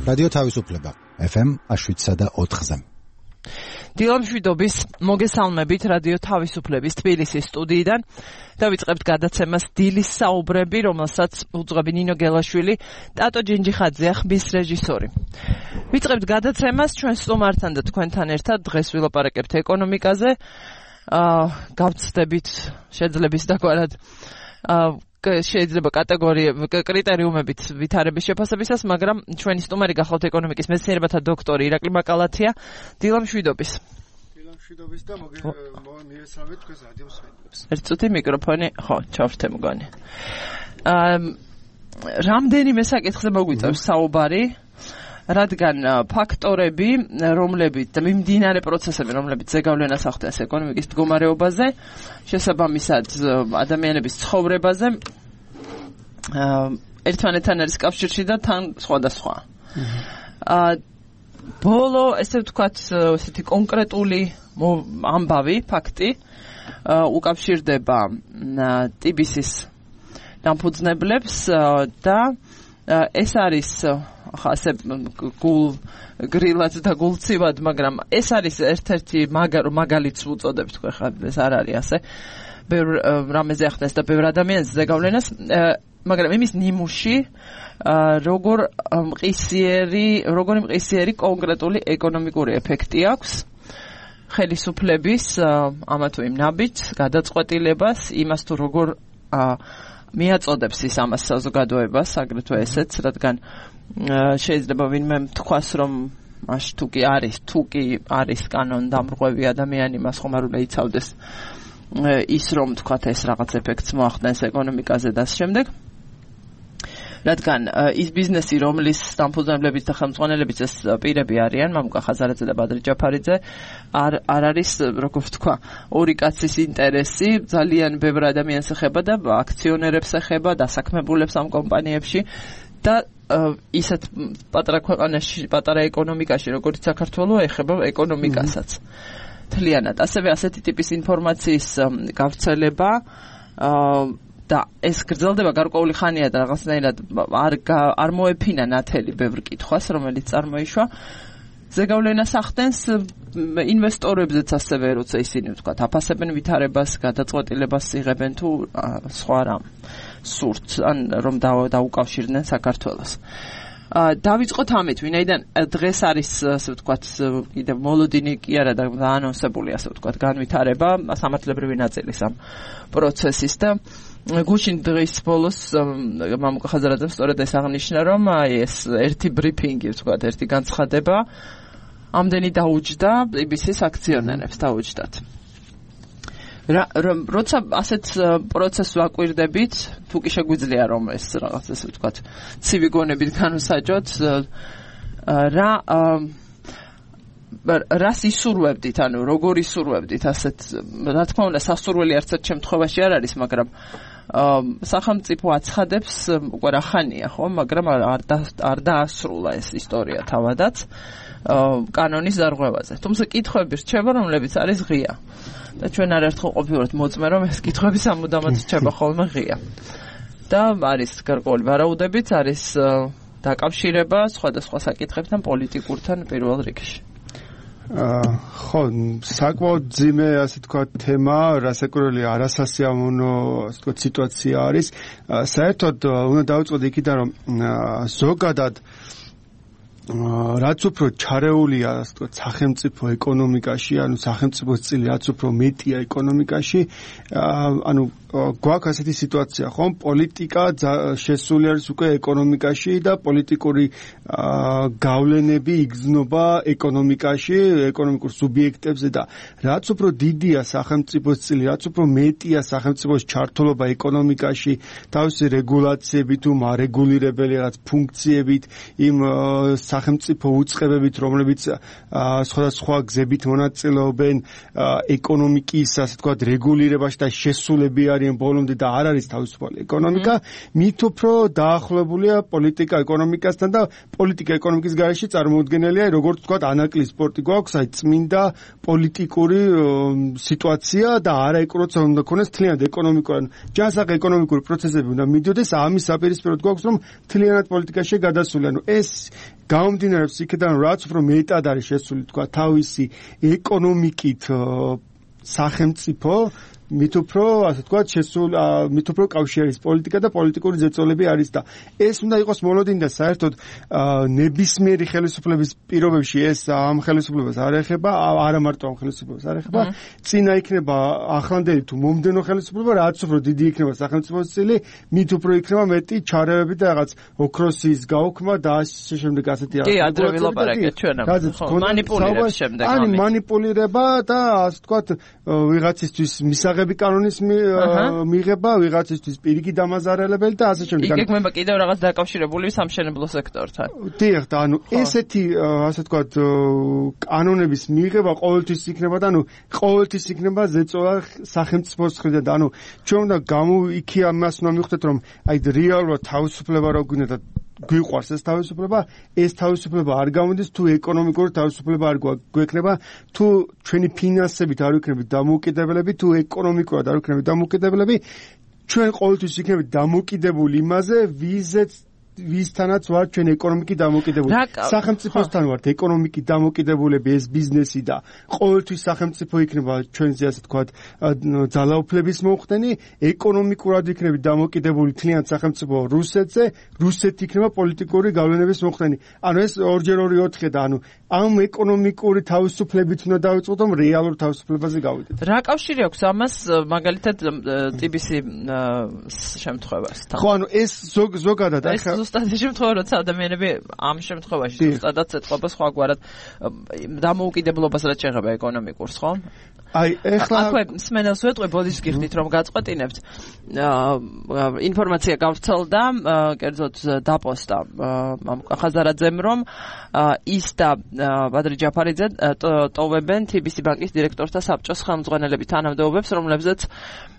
რადიო თავისუფლება FM 7.4-ზე. დილამშვიდობის მოგესალმებით რადიო თავისუფლების თბილისის სტუდიიდან. დავიწყებთ გადაცემას დილის საუბრები, რომელსაც უძღვები ნინო გელაშვილი, ტატო ჯინჯიხაძეა ხმის რეჟისორი. ვიწყებთ გადაცემას ჩვენ სტუმართან და თქვენთან ერთად. დღეს ვილაპარაკებთ ეკონომიკაზე. გავცდებით შეძლების დაგვარად შეიძლება კრიტერიუმებით ვითარების შეფასებისას, მაგრამ ჩვენი სტუმარი გახლავთ ეკონომიკის მეცნიერებათა დოქტორი ირაკლი მაკალათია. დილამშვიდობის. დილამშვიდობის და მოგესალმებით თქვენს რადიო მსმენელებს. ერთ წუთი მიკროფონი, ხო, ჩავრთე მგონი. რამდენიმე საკითხზე მოგვიწევს საუბარი, რადგან ფაქტორები, რომლებიც და მიმდინარე პროცესები, რომლებიც ზეგავლენას ახდენს ეკონომიკის მდგომარეობაზე, შესაბამისად ადამიანების ცხოვრებაზე, ერთმანეთთან არის კავშირში და თან სხვადასხვა. ბოლო, ესე ვთქვათ, ესეთი კონკრეტული ამბავი, ფაქტი უკავშირდება ტიბისის დამფუძნებლებს და ეს არის ასე გრილად და გულცივად, მაგრამ ეს არის ერთ-ერთი მაგალითს უწოდებთ ხა ეს არ არის ასე. ბევრ რამეზე ახდენს და ბევრ ადამიანს ზეგავლენას, მაგრამ იმის ნიმუში როგორი მყისიერი კონკრეტული ეკონომიკური ეფექტი აქვს ხელისუფლების ამა თუ იმ ნაბიჯს, გადაწყვეტილებას, იმას თუ როგორ მიაწოდებს ის ამას საზოგადოებას, აგრეთვე ესეც, რადგან შეიძლება ვინმე თქვას, რომ მაშ თუ კი არის კანონდამრღვევი ადამიანი, მას ხომ არ უნდა იცავდეს ის, რომ თქვათ ეს რაღაც ეფექტს მოახდენს ეკონომიკაზე და ამ შემდეგ. რადგან ის ბიზნესი, რომლის დამფუძნებლებიც და ხელმძღვანელებიც ეს პირები არიან, მამუკა ხაზარაძე და ბადრი ჯაფარიძე, არ არის, როგორ ვთქვა, ორი კაცის ინტერესი, ძალიან ბევრ ადამიანს ეხება და აქციონერებს ეხება, დასაქმებულებს ამ კომპანიებში და ისეთ პატარა ქვეყანაში, პატარა ეკონომიკაში, როგორც საქართველო, ეხება ეკონომიკასაც. თლიანად. ასევე ასეთი ტიპის ინფორმაციის გავრცელება და ეს გრძელდება გარკვეული ხანია და რაღაცნაირად არ მოეფინა ნათელი ბევრ კითხვას, რომელიც წარმოიშვა. ზეგავლენას ახდენს ინვესტორებზეც ასევე, როცა ისინი ვთქვათ, აფასებენ ვითარებას, გადაწყვეტილებას იღებენ თუ სხვა რამ სურთ, ან რომ დაუკავშირდნენ საქართველოს. დავიწყოთ ამით, ვინაიდან დღეს არის, ასე ვთქვათ, კიდევ მოლოდინი კი არა და დაანონსებული, ასე ვთქვათ, განვითარება, სამართლებრივი ნაწილის ამ პროცესის და გუშინ დღის ბოლოს მამუკა ხაზარაძემ სწორედ ეს აღნიშნა, რომ ეს ერთი ბრიფინგი, ვთქვათ, ერთი განცხადება ამდენი დაუჯდა ტიბისის აქციონერებს, დაუჯდათ. როცა ასეთ პროცესს ვაკვირდებით, თუ კი შეგვიძლია რომ ეს რაღაც ესე ვთქვათ, ცივი გონებით განვსაჯოთ, რას ისურვებდით, ანუ როგორ ისურვებდით ასეთ, რა თქმა უნდა, სასურველი არც ერთ შემთხვევაში არ არის, მაგრამ სახელმწიფო აცხადებს უკვე რა ხანია, ხო, მაგრამ არ დაასრულა ეს ისტორია თავადაც კანონის დარღვევაზე. თუმცა კითხვები რჩება, რომლებიც არის ღია. და ჩვენ არაერთხელ ყოფილვართ მოწმე, რომ ეს კითხვები სამუდამოდ რჩება ხოლმე ღია. და არის გარკვეული ვარაუდებით, არის დაკავშირება სხვადასხვა საკითხებთან, პოლიტიკურთან პირველ რიგში. ხო, საკმაოდ ძიმე, ასე თქვა, თემა, რასაკვირველი არასასიამოვნო, ასე თქვა, სიტუაცია არის. საერთოდ უნდა დავიწყოთ იქიდან, რომ ზოგადად რაც უფრო ჩარეულია, ასე თქვა, სახელმწიფო ეკონომიკაში, ანუ სახელმწიფოს წილი რაც უფრო მეტია ეკონომიკაში, ანუ გვაქვს ასეთი სიტუაცია, ხომ? პოლიტიკა შესული არის უკვე ეკონომიკაში და პოლიტიკური გავლენები იგრძნობა ეკონომიკაში, ეკონომიკურ სუბიექტებზე და რაც უფრო დიდია სახელმწიფოს წილი, რაც უფრო მეტია სახელმწიფოს ჩართულობა ეკონომიკაში, თავისი რეგულაციებით თუ მარეგულირებელი რაღაც ფუნქციებით, იმ სახელმწიფო უწყებებით, რომლებიც სხვადასხვა გზებით მონაწილეობენ ეკონომიკის, ასე ვთქვათ, რეგულირებაში და შესულები არიან ბოლომდე და არ არის თავისუფალი ეკონომიკა, მით უფრო დაახლოებულია პოლიტიკა ეკონომიკასთან და პოლიტიკა ეკონომიკის გარეშე წარმოუდგენელია, როგორც ვთქვათ, ანაკლი სპორტი გვაქვს, აი წმინდა პოლიტიკური სიტუაცია და არა ეგ როცა უნდა ქონდეს თლიანად ეკონომიკური, ჯანსაღ ეკონომიკური პროცესები უნდა მიდიოდეს, ამის საპირისპიროდ გვაქვს, რომ თლიანად პოლიტიკაში გადასული, ანუ ეს გამომდინარეობს იქიდან რაც უფრო მეტად არის შესული თქვა თავისი ეკონომიკით სახელმწიფო მით უფრო ასე ვთქვათ შესულ მით უფრო კავშირის პოლიტიკა და პოლიტიკური ზეწოლები არის და ეს უნდა იყოს მოლოდინი და საერთოდ ნებისმიერი ხელისუფლების პირობებში ეს ამ ხელისუფლებას არ ეხება არა მარტო ამ ხელისუფლებას არ ეხება წინა იქნება ახლანდელი თუ მომდენო ხელისუფლება რაც უფრო დიდი იქნება სახელმწიფოს წილი მით უფრო იქნება მეტი ჩარევები და რაღაც ოქროსის გაუქმა და ასე შემდეგ ასეთი კი ადრე ვილაპარაკეთ ჩვენ ამ მანიპულირების შემდეგ ანუ მანიპულირება და ასე ვთქვათ ვიღაცისთვის მისაღები კანონის მიღება ვიღაცისთვის პირიქი დამაზარალებელი და ასე შემდეგ. იგეგმება კიდევ რაღაც დაკავშირებული სამშენებლო სექტორთან. დიახ, და ანუ ესეთი ასე ვთქვათ კანონების მიღება ყოველთვის იქნება და ანუ ყოველთვის იქნება ზეწოლა სახელმწიფოს მხრიდან და ანუ ჩვენ უნდა იქი ამას უნდა მივხვდეთ რომ აი რეალურად თავისუფლება რო გვინდა და გვიყვარს ეს თავისუფლება არ გამოდის თუ ეკონომიკური თავისუფლება არ გვექნება თუ ჩვენი ფინანსებით არ ვიქნებით დამოუკიდებლები თუ ეკონომიკურად არ ვიქნებით დამოუკიდებლები ჩვენ ყოველთვის იქნებით დამოუკიდებული იმაზე ვისთანაც ვართ ჩვენ ეკონომიკით დამოუკიდებული სახელმწიფოსთან ვართ ეკონომიკით დამოუკიდებულები ეს ბიზნესი და ყოველთვის სახელმწიფო იქნება ჩვენზე ასე თქვათ ძალაუფლების მომხდენი ეკონომიკურად იქნებით დამოუკიდებული თლიანად სახელმწიფო რუსეთი იქნება პოლიტიკური გავლენების მომხდენი ანუ ეს 2x2 4 და ანუ ამ ეკონომიკური თავისუფლებით უნდა დავიწყოთ რომ რეალურ თავისუფლებაზე გავიდეთ რა კავშირი აქვს ამას მაგალითად TBC შემთხვევასთან ხო ანუ ეს ზოგადად ახლა ზუსტად ეს შემთხვევა როცა ადამიანები ამ შემთხვევაში ზუსტადაც ეთყობა სხვაგვარად დამოუკიდებლობას რაც შეეხება ეკონომიკურს ხო? აი ეხლა აქვე სმენელს ვეტყვი ბოდიშს გიხდით რომ გაწყვეტინებთ ინფორმაცია გავრცელდა კერძოდ დაპოსტა ხაზარაძემ რომ ის და ბადრი ჯაფარიძე ტოვებენ TBC ბანკის დირექტორთა საბჭოს ხელმძღვანელების თანამდებობებს რომლებზეც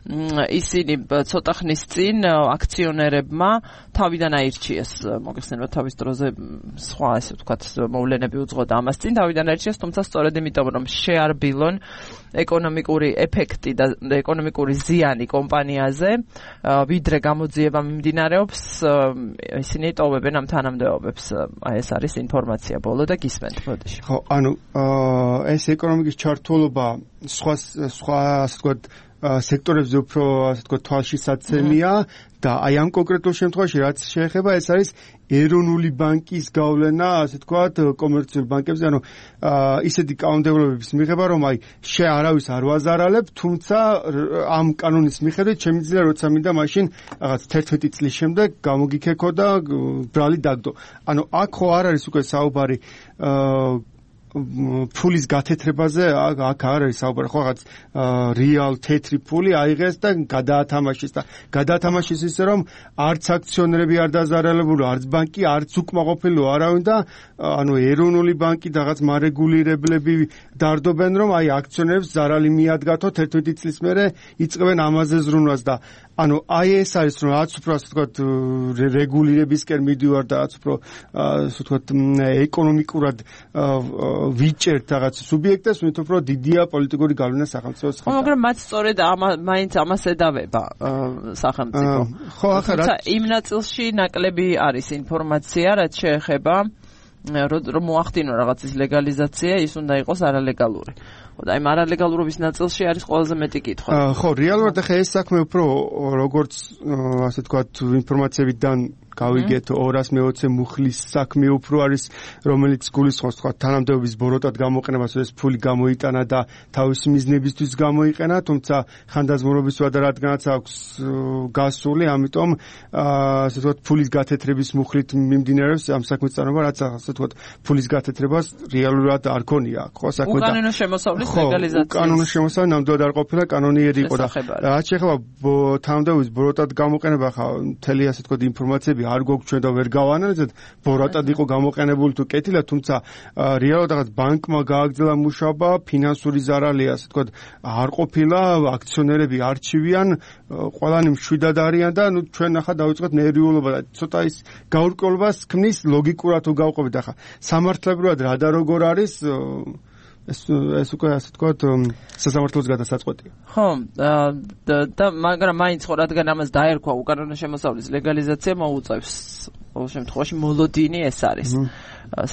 ისინი ცოტა ხნის წინ აქციონერებმა თავიდან აირჩიეს მოგეხსენება თავის დროზე სხვა ასე ვთქვათ მოვლენები უძღოდა ამას წინ თავიდან აირჩიეს თუმცა სწორედ იმიტომ რომ შეარბილონ ეკონომიკური ეფექტი და ეკონომიკური ზიანი კომპანიაზე ვიდრე გამოძიება მიმდინარეობს ისინი ტოვებენ ამ თანამდებობებს აი ეს არის ინფორმაცია ბოლო და გისმენთ ბოდიში ხო ანუ ეს ეკონომიკის ჩართულობა სხვა ასე ვთქვათ სექტორებზე უფრო ასე ვთქვათ თვალშისაცემია და აი ამ კონკრეტულ შემთხვევაში რაც შეეხება ეს არის ეროვნული ბანკის გავლენა ასე ვთქვათ კომერციულ ბანკებზე ანუ ისეთი კანონმდებლობების მიღება რომ აი არავის არ ვაზარალებ თუმცა ამ კანონის მიხედვით შემიძლია როცა მინდა მაშინ რაღაც 11 წლის შემდეგ გამოგიქექო და ბრალი დაგდო ანუ აქ ხო არ არის უკვე საუბარი ფულის გათეთრებაზე აქ არ არის საუბარი ხო რაღაც რეალ თეთრი ფული აიღეს და გადაათამაშეს და გადაათამაშეს ისე რომ არც აქციონერები არ დაზარალებულო არც ბანკი არც უკმაყოფილო არავინ და ანუ ეროვნული ბანკი და რაღაც მარეგულირებლები დარდობენ რომ აი აქციონერებს ზარალი მიადგათო 11 წლის მერე იწყებენ ამაზე ზრუნვას და ანუ აი ეს არის რომ რაც უფრო ასე ვთქვათ რეგულირებისკენ მიდივარ და რაც უფრო ასე ვთქვათ ეკონომიკურად ვიჭერთ რაღაც სუბიექტებს მით უფრო დიდია პოლიტიკური გავლენა სახელმწიფოს ხელში. მაგრამ მათ სწორედ მაინც ამას ედავება სახელმწიფო. ხო ახლა რა იმ ნაწილში ნაკლები არის ინფორმაცია რაც შეეხება რომ მოახდინო რაღაცის ლეგალიზაცია ის უნდა იყოს არალეგალური. და იმ არალეგალურობის ნაწილში არის ყველაზე მეტი კითხვა. ხო რეალურად ახლა ეს საქმე უფრო როგორც ასე ვთქვათ ინფორმაციებიდან გავიგეთ 220 მუხლის საქმე უფრო არის რომელიც გულისხმობს თქვა თანამდებობის ბოროტად გამოყენებას ეს ფული გამოიტანა და თავისი მიზნებისთვის გამოიყენა თუმცა ხანდაზმულობის ვადა რადგანაც აქვს გასული ამიტომ ასე ვთქვათ ფულის გათეთრების მუხლით მიმდინარეობს ამ საქმის წარმოება რაც ასე ვთქვათ ფულის გათეთრებას რეალურად არ ქონია ხო საქმე და უკანონო შემოსავლის ლეგალიზაცია უკანონო შემოსავალი ნამდვილად არ ყოფილა კანონიერი იყო და რაც შეეხება თანამდებობის ბოროტად გამოყენება ხა მთელი ასე ვთქვათ ინფორმაციები არ გვაქვს და ვერ გავანალიზეთ ბოროტად იყო გამოყენებული თუ კეთილა თუმცა რეალურად რაღაც ბანკმა გააგრძელა მუშაობა ფინანსური ზარალი ასე ვთქვათ არ ყოფილა აქციონერები არჩივიან ყველანი მშვიდად არიან და ნუ ჩვენ ახლა დავიწყოთ ნერვიულობა და ცოტა ის გაურკვევლობას ქმნის ლოგიკურად თუ გავყვებით ახლა სამართლებრივად რა და როგორ არის ეს უკვე ასე ვთქვათ სასამართლოს გადასაწყვეტია. ხო, და მაგრამ მაინც ხო რადგან ამას დაერქვა უკანონო შემოსავლის ლეგალიზაცია მოუწევს ყოველ შემთხვევაში მოლოდინი ეს არის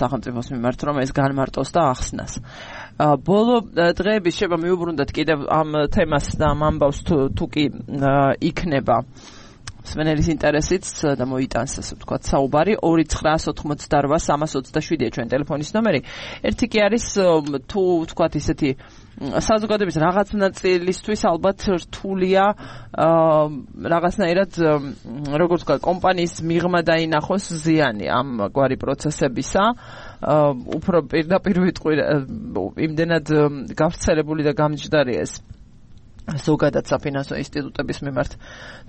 სახელმწიფოს მიმართ რომ ეს განმარტოს და ახსნას. ბოლო დღეების შეება მიუბრუნდეთ კიდევ ამ თემას და ამ ამბავს თუ კი იქნება მსმენელის ინტერესით და მოიტანს ასე ვთქვათ საუბარი 2988327-ია ჩვენ ტელეფონის ნომერი. ერთი კი არის თუ ვთქვათ ისეთი საზოგადოების რაღაც ნაწილისთვის ალბათ რთულია რაღაცნაირად როგორც ვთქვათ კომპანიის მიღმა დაინახოს ზიანი ამ გვარი პროცესებისა. უფრო პირდაპირ ვიტყვი იმდენად გავრცელებული და გამჯდარია ეს ზოგადად საფინანსო ინსტიტუტების მიმართ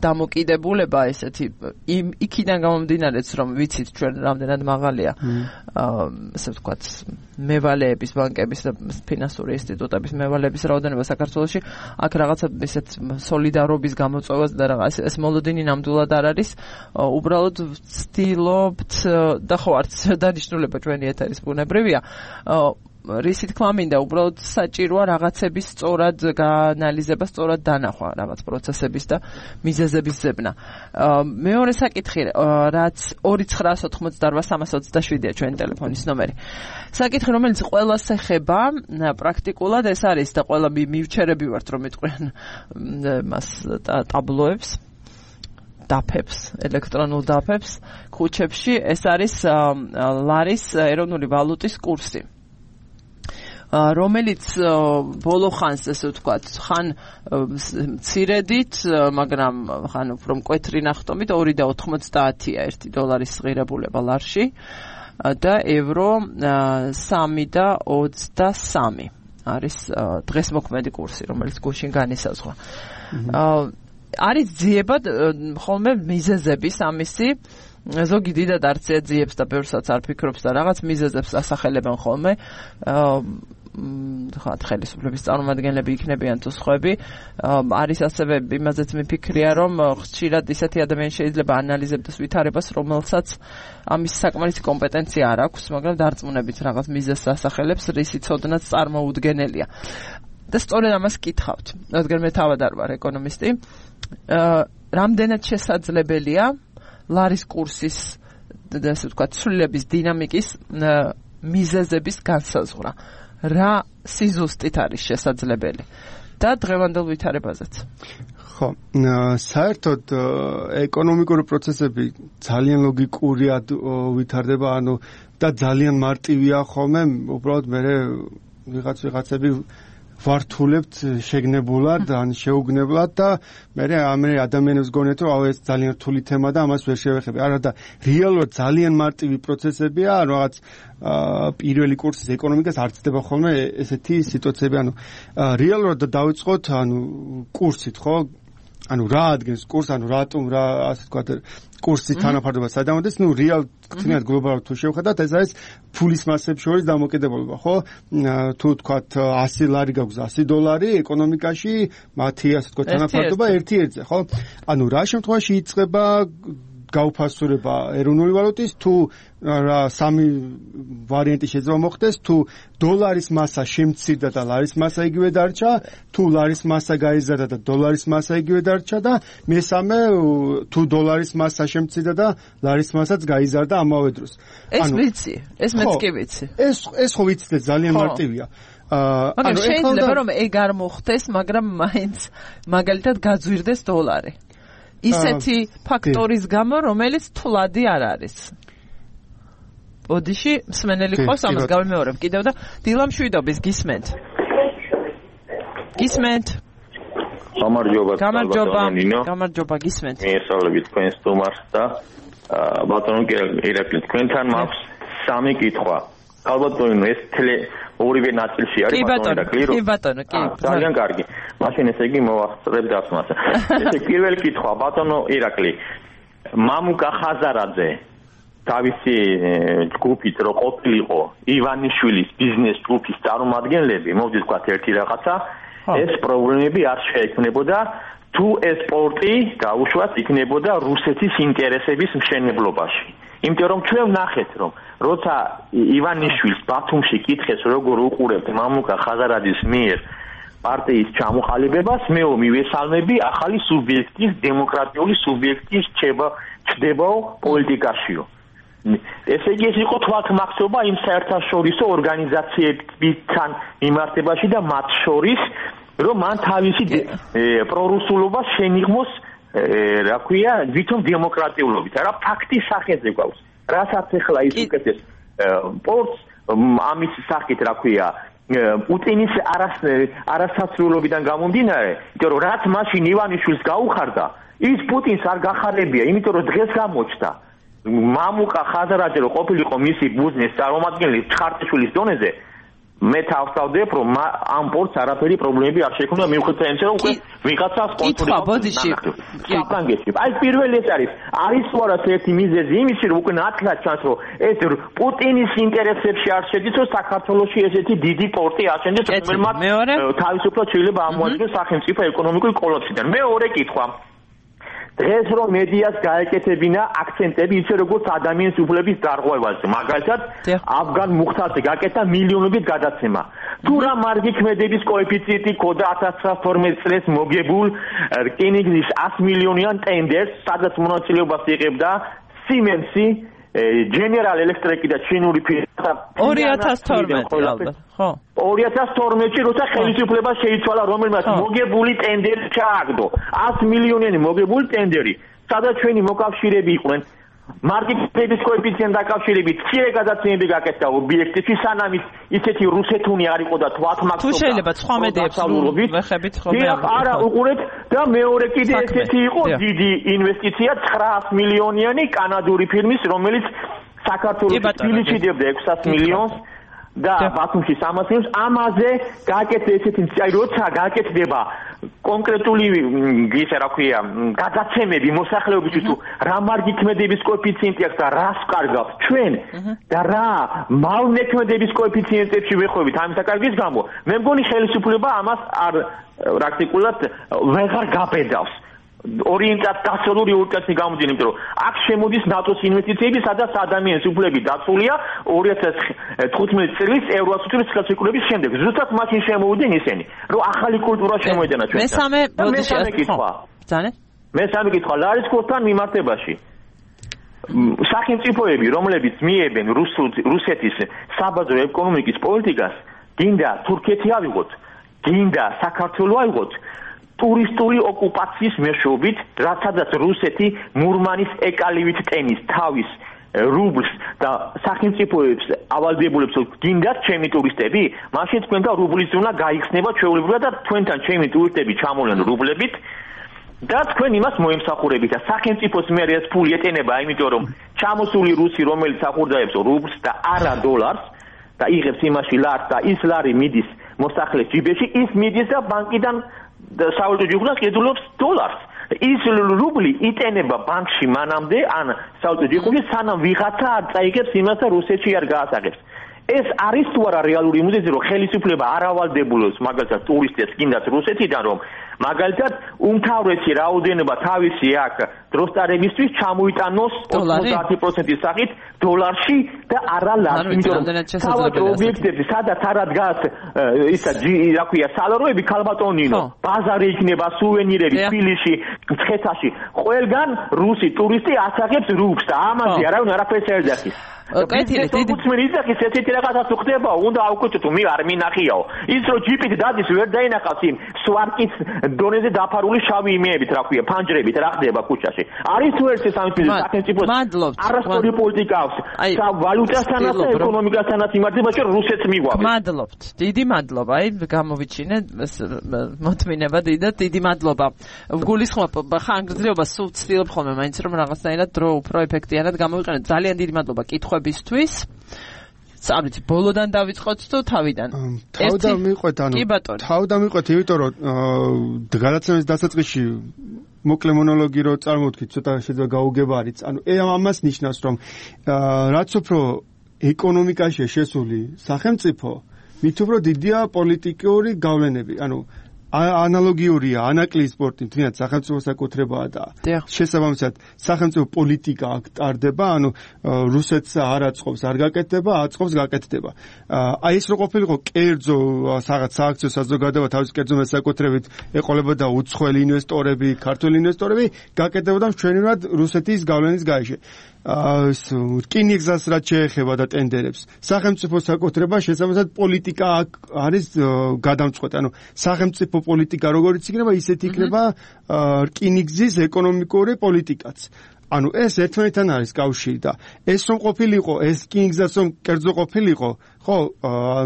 დამოკიდებულება ესეთი იქიდან გამომდინარეც რომ ვიცით ჩვენ რამდენად მაღალია ასე ვთქვათ მევალეების ბანკების და ფინანსური ინსტიტუტების მევალეების რაოდენობა საქართველოში აქ რაღაცა ესეთ სოლიდარობის გამოწვევას და რაღაც ეს მოლოდინი ნამდვილად არ არის უბრალოდ ვცდილობთ და ხო არც დანიშნულება ჩვენი ეთერის ბუნებრივია რისი თქმა მინდა უბრალოდ საჭიროა რაღაცების სწორად გაანალიზება, სწორად დანახვა რაღაც პროცესების და მიზეზების ზებნა. მეორე საკითხი, რაც 2988327-ია ჩვენი ტელეფონის ნომერი. საკითხი, რომელიც ყველას ეხება, პრაქტიკულად ეს არის და ყველა მივჩერები ვართ, რომ იტყვიან მას ტაბლოებს. დაფებს, ელექტრონულ დაფებს, ქუჩებში, ეს არის ლარის ეროვნული ვალუტის კურსი. რომელიც ბოლო ხანს ესე ვთქვათ, ხან მცირედით, მაგრამ ხან უფრო მკვეთრი ნახტომით 2.90-ია $1 ღირებულება ლარში და ევრო 3.23 არის დღეს მოქმედი კურსი, რომელიც გუშინ განისაზღვრა. არის ძიებად ხოლმე მიზეზების ამისი ზოგი დიდად არ ძიებს და ბევრსაც არ ფიქრობს და რაღაც მიზეზებს ასახელებენ ხოლმე ხელისუფლების წარმომადგენლები იქნებიან თუ სხვები არის ასევე იმაზეც მიფიქრია რომ ხშირად ისეთი ადამიანი შეიძლება ანალიზებდეს ვითარებას რომელსაც ამის საკმარისი კომპეტენცია არ აქვს მაგრამ დარწმუნებით რაღაც მიზეზს ასახელებს რისი ცოდნაც წარმოუდგენელია და სწორედ ამას კითხავთ რადგან მე თავად არ ვარ ეკონომისტი რამდენად შესაძლებელია ლარის კურსის ასე ვთქვათ ცვლილების დინამიკის მიზეზების განსაზღვრა რა სიზუსტით არის შესაძლებელი და დღევანდელ ვითარებაზეც ხო საერთოდ ეკონომიკური პროცესები ძალიან ლოგიკურად ვითარდება ანუ და ძალიან მარტივია ხოლმე უბრალოდ მე ვიღაცები ვართულებთ შეგნებულად ან შეუგნებლად და მე ადამიანებს გონეთ რომ ეს ძალიან რთული თემა და ამას ვერ შევეხები. არა და რეალურად ძალიან მარტივი პროცესებია, რაღაც პირველი კურსის ეკონომიკას არ ცდება ხოლმე ესეთი სიტუაციები, ანუ რეალურად დავიწყოთ ანუ კურსით, ხო? ანუ რა ადგენს კურს, ანუ რატომ რა ასე ვთქვათ კურსის თანაფარდობა სადამოდეს, ну რეალ ქცინად გლობალურად თუ შევხედათ, ეს არის ფულის მასებს შორის დამოკიდებულება, ხო? თუ ვთქვათ 100 ლარი გაქვს $100 ეკონომიკაში, მათი ასე ვთქვათ თანაფარდობა 1-1-ზე, ხო? ანუ რა შემთხვევაში იწყება გაუფასურება ეროვნული ვალუტის თუ რა სამი ვარიანტი შეიძლება მოხდეს თუ დოლარის მასა შემცირდა და ლარის მასა იგივე დარჩა თუ ლარის მასა გაიზარდა და დოლარის მასა იგივე დარჩა და მესამე თუ დოლარის მასა შემცირდა და ლარის მასაც გაიზარდა ამავე დროს ეს ვიცი ეს მეც კი ვიცი ეს ხო ვიცი ძალიან მარტივია ანუ შეიძლება რომ ეგ არ მოხდეს მაგრამ მაინც მაგალითად გაძვირდეს დოლარი ისეთი ფაქტორის გამო, რომელიც თვლადი არ არის. ბოდიში მსმენელი ყავს ამას გავიმეორებ კიდევ და დილა მშვიდობის გისმენთ. გისმენთ. გამარჯობა გისმენთ. მიესალმებით თქვენს სტუმარს და ბატონო ირაკლი თქვენთან მაქვს სამი კითხვა. ალბათ ეს ორივე ნაწილში არის ბატონო კი ძალიან კარგი მაშინ ესე იგი მოვახსენებ დასმას ესე პირველი კითხვა ბატონო ირაკლი მამუკა ხაზარაძე თავისი ჯგუფით რო ყოფილიყო ივანიშვილის ბიზნეს ჯგუფის წარმომადგენლები მოვიდი თქვა ერთი რაღაცა ეს პრობლემები არ შეექმნებოდა თუ ეს სპორტი გაუშვათ იქნებოდა რუსეთის ინტერესების მშენებლობაში იმიტომ რომ ჩვენ ვნახეთ რომ როცა ივანიშვილს ბათუმში კითხეს როგორ უყურებთ მამუკა ხაზარაძის მიერ პარტიის ჩამოყალიბებას, მე მივესალმები ახალი სუბიექტის, დემოკრატიული სუბიექტის ჩდებაო პოლიტიკაშიო. ესე იგი ეს იყო თვალთმახსობა იმ საერთაშორისო ორგანიზაციებთან მიმართებაში და მათ შორის, რომ მან თავისი პრორუსულობა შენიღმოს, რა ქვია, ვითომ დემოკრატიულობით. რა ფაქტის სახეზე გვაქვს. რასაც ახლა ის უკეთეს პორტს ამის სახით, რა ქვია, პუტინის არასასრულობიდან გამომდინარე, იმიტომ რომ რაც მაშინ ივანიშვილს გაუხარდა, ის პუტინს არ გახარებია, იმიტომ რომ დღეს გამოჩნდა მამუკა ხაზარაძე რო ყოფილიყო მისი ბუზნის წარმომადგენელი ჩხარტიშვილის დონეზე, მე თავსავდებ რომ ამ პორტს არაფერი პრობლემები არ შექმნა მიუხედავად იმისა რომ უკვე ვიღაცას კონტროლი აი პირველი ეს არის თუ არა ერთი მიზეზი იმისი რომ უკვე ნათლად ჩანს რომ ეს პუტინის ინტერესებში არ შედის რომ საქართველოში ესეთი დიდი პორტი აშენდეს რომელმაც თავისუფლად შეიძლება ამოაჩინოს სახელმწიფო ეკონომიკური კოლაფსიდან მეორე კითხვა დღეს რომ მედიას გაეკეთებინა აქცენტები ისე როგორც ადამიანის უფლების დარღვევაზე მაგალითად აფგან მუხთაზე გაკეთა მილიონობით გადაცემა თუ რა მარგი ქმედების კოეფიციენტი ქონდა 1912 წელს მოგებულ რკინიგზის 100 მილიონიან ტენდერს სადაც მონაწილეობას იღებდა Siemens-ი General Electric და ჩინური ფირმა 2012 ალბათ ხო 2012-ში როცა ხელისუფლება შეიცვალა რომელმაც მოგებული ტენდერი ჩააგდო 100 მილიონიანი მოგებული ტენდერი სადაც ჩვენი მოკავშირეები იყვნენ მარკეტინგის კოეფიციენტ დაკავშირებით მცირე გადაცემები გაკეთდა ობიექტებში სანამ ისეთი რუსეთუნი არ იყო და თვალთმახსობა თუ შეიძლება სხვა მედიებს ვეხებით ხოლმე არა უყურეთ და მეორე კიდე ესეთი იყო დიდი ინვესტიცია 900 მილიონიანი კანადური ფირმის რომელიც საქართველოს თბილისში დებდა 600 მილიონს და ბათუმში 300 მილიონს ამაზე გააკეთე ესეთი აი როცა გააკეთდება კონკრეტული ისე რა ქვია გადაცემები მოსახლეობისთვის თუ რა მარგი ქმედების კოეფიციენტი აქვს და რას კარგავს ჩვენ და რა მალნექმედების კოეფიციენტებში ვეხვევით ამის საკარგის გამო მე მგონი ხელისუფლება ამას არ პრაქტიკულად ვეღარ გაბედავს ორიენტაციული ორიენტაციის გამომდინარე, იმიტომ რომ აქ შემოდის ნატოს ინვესტიციები, სადაც ადამიანის უფლები დაცულია 2015 წლის ევროასოცირების ხელშეკრულების შემდეგ. ზუსტად მაშინ შემოვიდნენ ისინი, რომ ახალი კულტურა შემოედენა ჩვენთან. მესამე კითხვა ლარისკოსთან მიმართებაში. სახელმწიფოები, რომლებიც მიებენ რუსეთის საბაზრო ეკონომიკის პოლიტიკას, გინდა თურქეთი ავიღოთ, გინდა საქართველო ავიღოთ. ტურისტული ოკუპაციის მეშვეობით, რაცაც რუსეთი მურმანის ეკალივით ტენის თავის რუბლს და სახელმწიფოებს ავალდებულებს გინდათ ჩემი ტურისტები, მაშინ თქვენთან რუბლის ზონა გაიხსნება ჩვეულებრივად და თქვენთან ჩემი ტურისტები ჩამოვლენ რუბლებით და თქვენ იმას მოემსახურებით და სახელმწიფოს მე ეს ფული ეტენება, იმიტომ რომ ჩამოსული რუსი რომელიც ახურდაებს რუბლს და არა დოლარს და იღებს იმაში ლარს და ის ლარი მიდის მოსახლეს ჯიბეში, ის მიდის და ბანკიდან სავალუტო ჯიგუნას კედულობს დოლარს. ის რუბლი იტენება ბანკში მანამდე, ან სავალუტო ჯიგუნი სანამ ვიღაცა არ წაიღებს იმას და რუსეთში არ გაასაღებს. ეს არის თუ არა რეალური მიზეზი, რომ ხელისუფლება არ ავალდებულოს მაგალითად ტურისტებს გინდათ რუსეთიდან, რომ მაგალითად უმთავრესი რაოდენობა თავისი აქ დროსტარებისთვის ჩამოიტანოს 90%-ის სახით დოლარში და არა ლარში. იმიტომ რომ თავად ობიექტებში სადაც არა დგას ისა რა ქვია სალაროები ქალბატონინო, ბაზარი იქნება, სუვენირები თბილისში, მცხეთაში. ყველგან რუსი ტურისტი ასაღებს რუბლს და ამაზე არავინ არაფერს არ ეძახის. კეთილი დიდი მიზეზი ესეთი რაღაცა ხდება უნდა აუკეთო მე არ მინახიაო ის რომ ჯიპით დადის ვერ დაინახავს იმ სვარკის დონეზე დაფარული შავი იმეებით რა ქვია ფანჯრებით რა ხდება ქუჩაში არის თუ ერთი სამწუხაროდ სახელმწიფოს არასწორი პოლიტიკა აქვს ვალუტასთანაც და ეკონომიკასთანაც იმართებაში რუსეთს მიგვაქვს მადლობთ დიდი მადლობა აი გამოვიჩინე მოთმინება დიდი მადლობა გულისხმობ ხანგრძლივობა სულ ცდილობ ხოლმე მაინც რომ რაღაცნაირად დრო უფრო ეფექტიანად გამოვიყენოთ ძალიან დიდი მადლობა კითხვებისთვის წავით ბოლოდან დავიწყოთ თუ თავიდან თავიდან მიყვეთ თავიდან მიყვეთ იმიტომ რომ გადაცემის დასაწყისში მოკლე მონოლოგი რო წარმოვთქვით ცოტა შეიძლება გაუგებარიც ანუ ამას ნიშნავს რომ რაც უფრო ეკონომიკაშია შესული სახელმწიფო მით უფრო დიდია პოლიტიკური გავლენები ანუ ანალოგიურია ანაკლიის სპორტი თუნდაც სახელმწიფო საკუთრებაა და შესაბამისად სახელმწიფო პოლიტიკა აქ ტარდება, ანუ რუსეთს არ აწყობს, არ გაკეთდება, აწყობს, გაკეთდება. აი ეს რო ყოფილიყო კერძო რაღაც სააქციო საზოგადოება თავის კერძო მესაკუთრებით ეყოლებოდა უცხოელი ინვესტორები, ქართული ინვესტორები, გაკეთდებოდა მშვენივრად რუსეთის გავლენის გარეშე. რკინიგზას რაც შეეხება და ტენდერებს. სახელმწიფო საკუთრება შესაბამისად პოლიტიკა არის გადამწყვეტი. ანუ სახელმწიფო პოლიტიკა როგორიც იქნება, ისეთ იქნება რკინიგზის ეკონომიკური პოლიტიკაც. ანუ ეს ერთმანეთთან არის კავშირი და ეს რომ ყოფილიყო, ეს რკინიგზას რომ კერძო ყოფილიყო, ხო,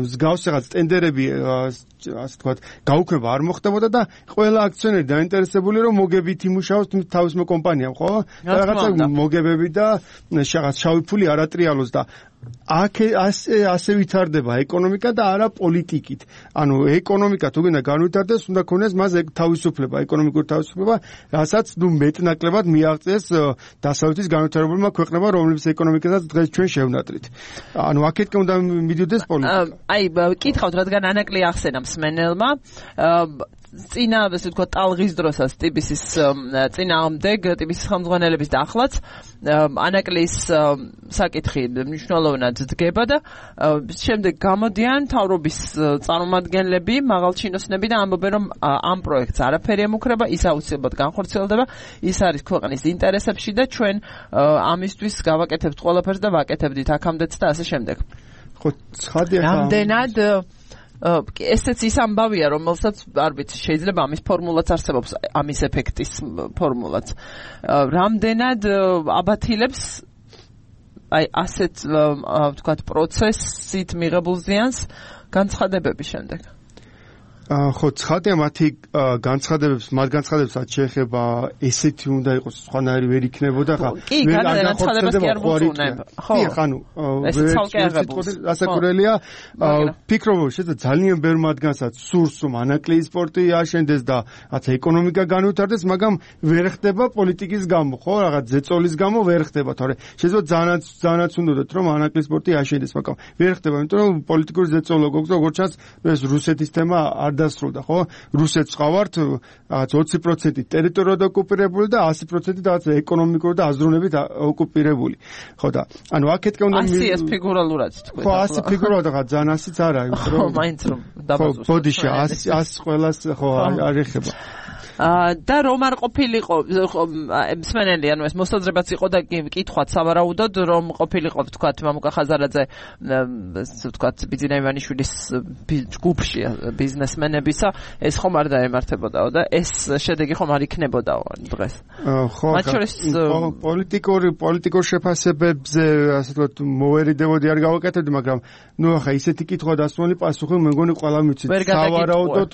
მსგავს რაღაც ტენდერები ასე ვთქვათ, გაუქმება არ მოხდებოდა და ყველა აქციონერი დაინტერესებული რომ მოგებით იმუშაოს თავისმო კომპანიამ, ხო? რაღაცა მოგებები და რაღაც შავი ფული არ ატრიალოს და აქ ასე ვითარდება ეკონომიკა და არა პოლიტიკით. ანუ ეკონომიკა თუ გინდა განვითარდეს, უნდა ქონდეს მას თავისუფლება, ეკონომიკური თავისუფლება, რასაც მეტნაკლებად მიაღწიეს დასავლეთის განვითარებულმა ქვეყნებმა, რომლებიც ეკონომიკასაც დღეს ჩვენ შევნატრით. ანუ აქეთკენ უნდა მიდიოდეს პოლიტიკა. აი, კითხავთ, რადგან ანაკლი ახსენა მსმენელმა, წინა, ასე ვთქვათ, ტალღის დროსაც ტიბისის წინააღმდეგ, ტიბისის ხელმძღვანელების და ახლაც ანაკლის საკითხი მნიშვნელოვნად დგება და შემდეგ გამოდიან თავრობის წარმომადგენლები, მაღალჩინოსნები და ამბობენ, რომ ამ პროექტს არაფერი ემუქრება, ის აუცილებლად განხორციელდება, ის არის ქვეყნის ინტერესებში და ჩვენ ამისთვის გავაკეთებთ ყველაფერს და ვაკეთებდით აქამდეც და ასე შემდეგ. ხო, ცხადია. რამდენად ესეც ის ამბავია, რომელსაც არ ვიცი, შეიძლება ამის ფორმულაც არსებობს, ამის ეფექტის ფორმულაც. რამდენად აბათილებს აი ასეთ ვთქვათ პროცესით მიღებულ ზიანს განცხადებები შემდეგ. ხო, ცხადია მათი განცხადებებსაც შეეხება ესეთი უნდა იყოს, სხვანაირი ვერ იქნებოდა ხა. კი, განცხადებას კი არ მოწუნებ. ხო, ანუ ასაკურელია, ფიქრობ, შეიძლება ძალიან ბევრ მათგანსაც სურს, რომ ანაკლიის სპორტი აშენდეს და რაღაცა ეკონომიკა განვითარდეს, მაგრამ ვერ ხდება პოლიტიკის გამო, ხო, რაღაც ზეწოლის გამო ვერ ხდება, თორე შეიძლება ძალიანაც უნდათ, რომ ანაკლიის სპორტი აშენდეს, მაგრამ ვერ ხდება, იმიტომ რომ პოლიტიკური ზეწოლა გქონდეს, როგორც ჩანს, ეს რუსეთის თემა არ დასრულდა, ხო? რუსეთს ყავართ რაღაც 20% ტერიტორიად ოკუპირებული და 100% რაღაც ეკონომიკური და აზროვნებით ოკუპირებული. ხო და ანუ აქეთკენ უნდა 100-ს ფიგურალურად თქვი. ხო, 100 ფიგურალურად ხა ძალიან 100-ც არა, იმიტომ რომ მაინც რომ დაბაზოს. ხო, ბოდიშა 100 ყველას ხო არ ეხება. და რომ არ ყოფილიყო მსმენელი, ანუ ეს მოსაზრებაც იყო და კითხვაც სავარაუდოდ რომ ყოფილიყო ვთქვათ მამუკა ხაზარაძე ვთქვათ ბიძინა ივანიშვილის ჯგუფში ბიზნესმენებისა, ეს ხომ არ დაემართებოდაო და ეს შედეგი ხომ არ იქნებოდაო დღეს. ხო, პოლიტიკურ შეფასებებზე ასე ვთქვათ მოვერიდებოდი არ გავაკეთებდი, მაგრამ ნუ ახლა ისეთი კითხვა დასმული პასუხი მე მგონი ყველა მიცით. სავარაუდოდ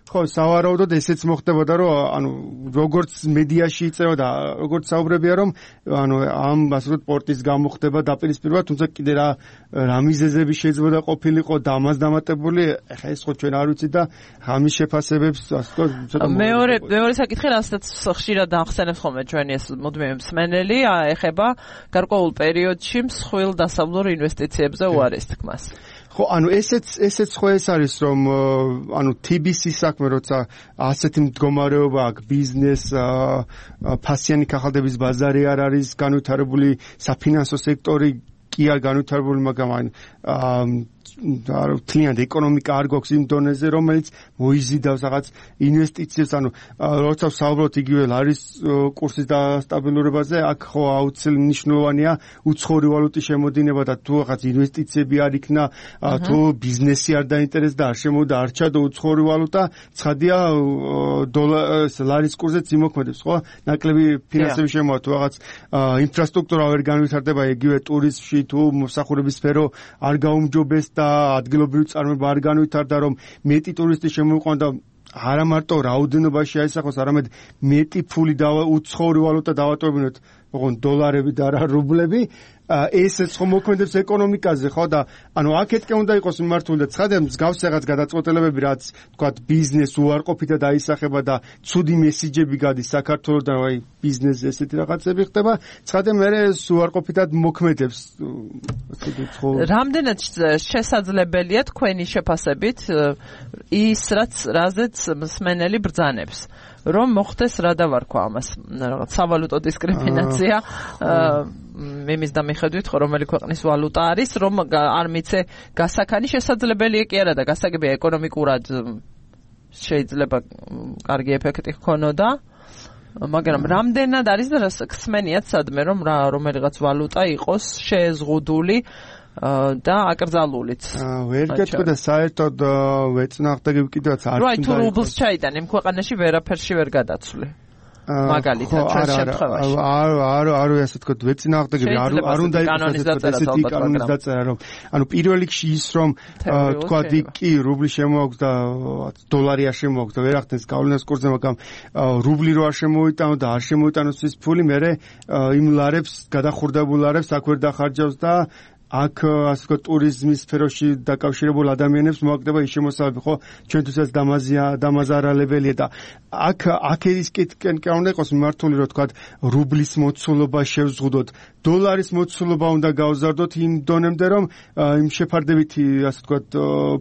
ხო, სავარაუდოდ ესეც მოხდებოდა, რომ ანუ როგორც მედიაში იწევდა, როგორც საუბრებია, რომ ანუ ამ ასე ვთქვათ სპორტის გამოხდება დაპირისპირება, თუმცა კიდე რა მიზეზები შეიძლება ყოფილიყო და ამას დამატებული, ეხა ეს ხო ჩვენ არ ვიცით და ამის შეფასებებს ასე ვთქვათ ცოტა მეორე საკითხი, რასაც ხშირად ახსენებს ხოლმე ჩვენი ეს მუდმივი მსმენელი, ეხება გარკვეულ პერიოდში მსხვილ დასავლურ ინვესტიციებზე უარეს თქმას. ხო, ანუ ესეც ხო ეს არის, რომ ანუ TBC-ის საქმე, როცა ასეთი მდგომარეობა აქვს, ბიზნეს, ფასიანი კახალდების ბაზარი არ არის განვითარებული, საფინანსო სექტორი კი არ განვითარებული, მაგრამ თლიანად ეკონომიკა არ გვაქვს იმ დონეზე, რომელიც მოიზიდავს რაღაც ინვესტიციებს, ანუ როცა ვსაუბრობთ იგივე ლარის კურსის დასტაბილურებაზე, აქ ხო აუცილებლად მნიშვნელოვანია უცხოური ვალუტის შემოდინება და თუ რაღაც ინვესტიციები არ იქნა, თუ ბიზნესი არ დაინტერესდა, არ შემოვიდა, არ ჩადო უცხოური ვალუტა, ცხადია ლარის კურსზეც იმოქმედებს, ხო? ნაკლები ფინანსები შემოვა, თუ რაღაც ინფრასტრუქტურა ვერ განვითარდება, იგივე ტურიზმში, თუ მოსახურების სფერო არ გაუმჯობეს და ადგილობრივი წარმოება არ განვითარდა, რომ მეტი ტურისტი შემოიყვანა და არა მარტო რაოდენობაში აისახოს, არამედ მეტი ფული უცხოური ვალუტა დავატოვებინოთ, ოღონდ დოლარები და არა რუბლები, ესეც ხომ მოქმედებს ეკონომიკაზე, ხო და ანუ აქეთკე უნდა იყოს მიმართული და ცხადია მსგავს რაღაც გადაწყვეტილებები, რაც თქვათ ბიზნეს უარყოფით და დაისახება და ცუდი მესიჯები გადის საქართველოსთან, აი ბიზნესზე ესეთი რაღაცები ხდება, ცხადია მე ეს უარყოფითად მოქმედებს. რამდენად შესაძლებელია თქვენი შეფასებით ის რაზეც მსმენელი ბრძანებს რომ მოხდეს რა დავარქვა ამას რაღაც სავალუტო დისკრიმინაცია იმის და მიხედვით ხო რომელი ქვეყნის ვალუტა არის რომ არ მიცე გასაქანი შესაძლებელია კი არა და გასაგებია ეკონომიკურად შეიძლება კარგი ეფექტი ჰქონოდა მაგრამ რამდენად არის და ხსმენიათ სადმე რომ რომელიღაც ვალუტა იყოს შეეზღუდული და აკრძალულიც. ვერ გეტყვი და საერთოდ ვეწნახდები კიდევაც არ უნდა. თუ რუბლს ჩაიტან იმ ქვეყანაში ვერაფერში ვერ გადაცვლი. მაგალითად ჩვენ შემთხვევაში. არ ასე თქვა ვეწნახდები არ უნდა იყოს ესეთი კანონის დაწერა რომ ანუ პირველ რიგში ის რომ თქვა კი რუბლი შემოაქვს და დოლარი არ შემოაქვს და ვერ ახდენს გავლენას კურსზე მაგრამ რუბლი რო არ შემოიტანო და არ შემოიტანოს ის ფული მე იმ ლარებს გადახურდებულ ლარებს აქ ვერ დახარჯავს და აქ ასე ვთქვათ ტურიზმის სფეროში დაკავშირებულ ადამიანებს მოაგდება ის შემოსავალი ხო ჩვენთვისაც დამაზარალებელია და აქ ის კითხვა უნდა იყოს მიმართული რომ ვთქვათ რუბლის მოცულობა შევზღუდოთ დოლარის მოცულობა უნდა გავზარდოთ იმ დონემდე რომ იმ შეფარდებითი ასე ვთქვათ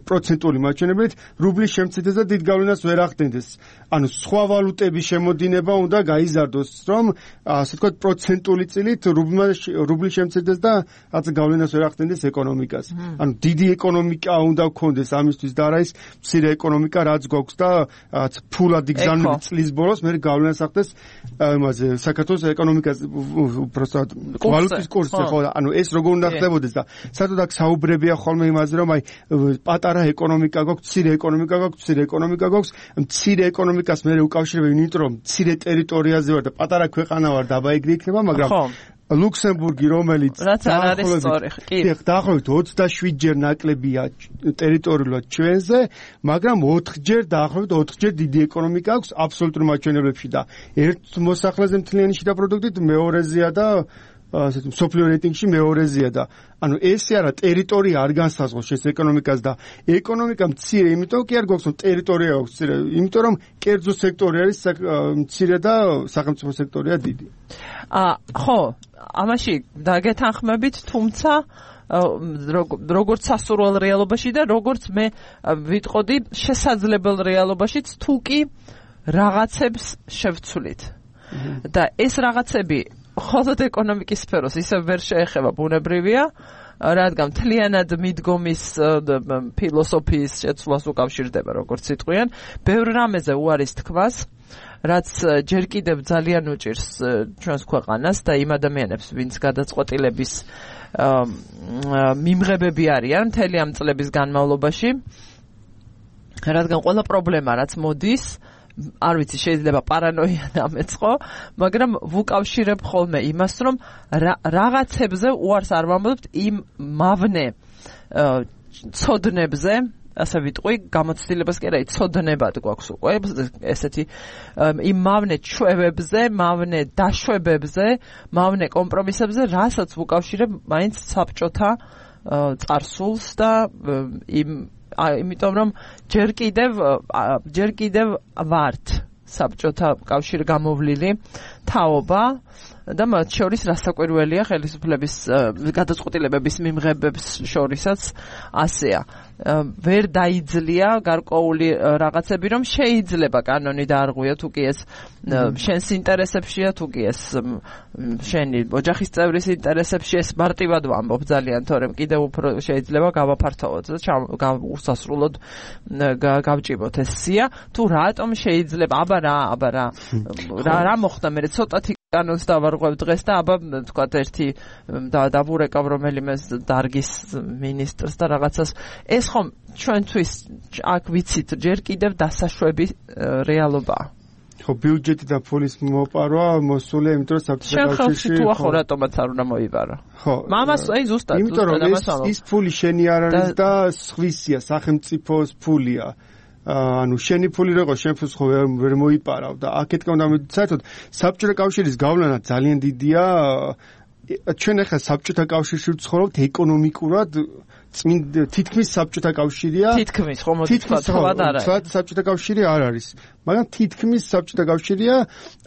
პროცენტული მაჩვენებლით რუბლის შემცირდეს და დიდ გავლენას ვერ ახდენდეს ანუ სხვა ვალუტების შემოდინება უნდა გაიზარდოს რომ ასე ვთქვათ პროცენტული წილით რუბლის შემცირდეს და რაც გავლენას ვერ ახდენდეს ეკონომიკას. ანუ დიდი ეკონომიკა უნდა გქონდეს ამისთვის და არა ის მცირე ეკონომიკა რაც გვაქვს და ფულად იგზავნები წლის ბოლოს მე გავლენას ახდენს იმაზე საქართველოს ეკონომიკას უბრალოდ ვალუტის კურსზე ხო ანუ ეს როგორ უნდა ხდებოდეს და საერთოდ აქ საუბრებია ხოლმე იმაზე რომ აი პატარა ეკონომიკა გვაქვს, მცირე ეკონომიკა გვაქვს, მცირე ეკონომიკას მე უკავშირებ იმიტომ რომ მცირე ტერიტორიაზე ვარ და პატარა ქვეყანა ვარ და აბა ეგრე იქნება მაგრამ ლუქსემბურგი რომელიც დაახლოებით 27 ჯერ ნაკლებია ტერიტორიულად ჩვენზე, მაგრამ 4 ჯერ დაახლოებით 4 ჯერ დიდი ეკონომიკა აქვს აბსოლუტურ მაჩვენებლებში და ერთ მოსახლეზე მთლიანი შიდა პროდუქტით მეორეზეა და ასეთ სოფლიო რეიტინგში მეორეზეა და ანუ ესე არა ტერიტორია არ განსაზღვროს ეს ეკონომიკას და ეკონომიკა მცირე იმიტომ კი არ გვაქვს რომ ტერიტორია აქვს მცირე იმიტომ რომ კერძო სექტორი არის მცირე და სახელმწიფო სექტორია დიდი ხო ამაში დაგეთანხმებით თუმცა როგორც სასურველ რეალობაში და როგორც მე ვიტყოდი შესაძლებელ რეალობაშიც თუ კი რაღაცებს შევცვლით და ეს რაღაცები ხოლოდ ეკონომიკის სფეროს ისევ ვერ შეეხება ბუნებრივია რადგან მთლიანად მიდგომის ფილოსოფიის შეცვლას უკავშირდება როგორც სიტყვიან ბევრ რამეზე უარის თქმას რაც ჯერ კიდევ ძალიან უჭირს ჩვენს ქვეყანას და იმ ადამიანებს ვინც გადაწყვეტილების მიმღებები არიან მთელი ამ წლების განმავლობაში რადგან ყველა პრობლემა რაც მოდის არ ვიცი შეიძლება პარანოია დამეწყო, მაგრამ ვუკავშირებ ხოლმე იმას, რომ რაღაცებზე უარს არ ვამბობთ იმ მავნე ცოდნებზე, ასე ვიტყვი, გამოცდილებას კი არა, ცოდნებად გვაქვს უკვე ესეთი იმ მავნე ჩვევებზე, მავნე დაშვებებზე, მავნე კომპრომისებზე, რასაც ვუკავშირებ მაინც საბჭოთა წარსულს და იმიტომ რომ ჯერ კიდევ ვართ საბჭოთა კავშირი გამოვლილი თაობა და მათ შორის რასაკვირველია ხელისუფლების გადაწყვეტილებების მიმღებებს შორისაც ასეა ვერ დაიძლია გარკვეული რაღაცები რომ შეიძლება კანონი დაარღვია თუ კი ეს შენს ინტერესებშია თუ კი ეს შენი ოჯახის წევრის ინტერესებში ეს მარტივად ვამბობ ძალიან თორემ კიდევ უფრო შეიძლება გავაფართოვოთ და უსასრულოდ გავჭიმოთ ეს სია თუ რატომ შეიძლება აბა რა მოხდა მე ცოტათი კანონს დავარღვევ დღეს და აბა თქვა ერთი დავურეკავ რომელიმე დარგის მინისტრს და რაღაცას ეს ხომ ჩვენთვის აქ ვიცით ჯერ კიდევ დასაშვები რეალობაა ხო ბიუჯეტი და ფულის მოპარვა მოსულია იმიტომ რომ საბჭოთა კავშირში თუ ახო რატომაც არ უნდა მოიბარა ხო მამას აი ზუსტად იმიტომ რომ ის ფული შენი არ არის და სხვისია სახელმწიფოს ფულია ანუ შენი ფული როგორ შენ ფულს ხო ვერ მოიპარავ და აქეთკენ უნდა მივიდეთ საერთოდ საბჭოთა კავშირის გავლენა ძალიან დიდია ჩვენ ახლა საბჭოთა კავშირში ვცხოვრობთ ეკონომიკურად თითქმის საბჭოთა კავშირია. თითქმის ხომ თქვათ არა. საბჭოთა კავშირი არ არის. მაგრამ თითქმის საბჭოთა კავშირია,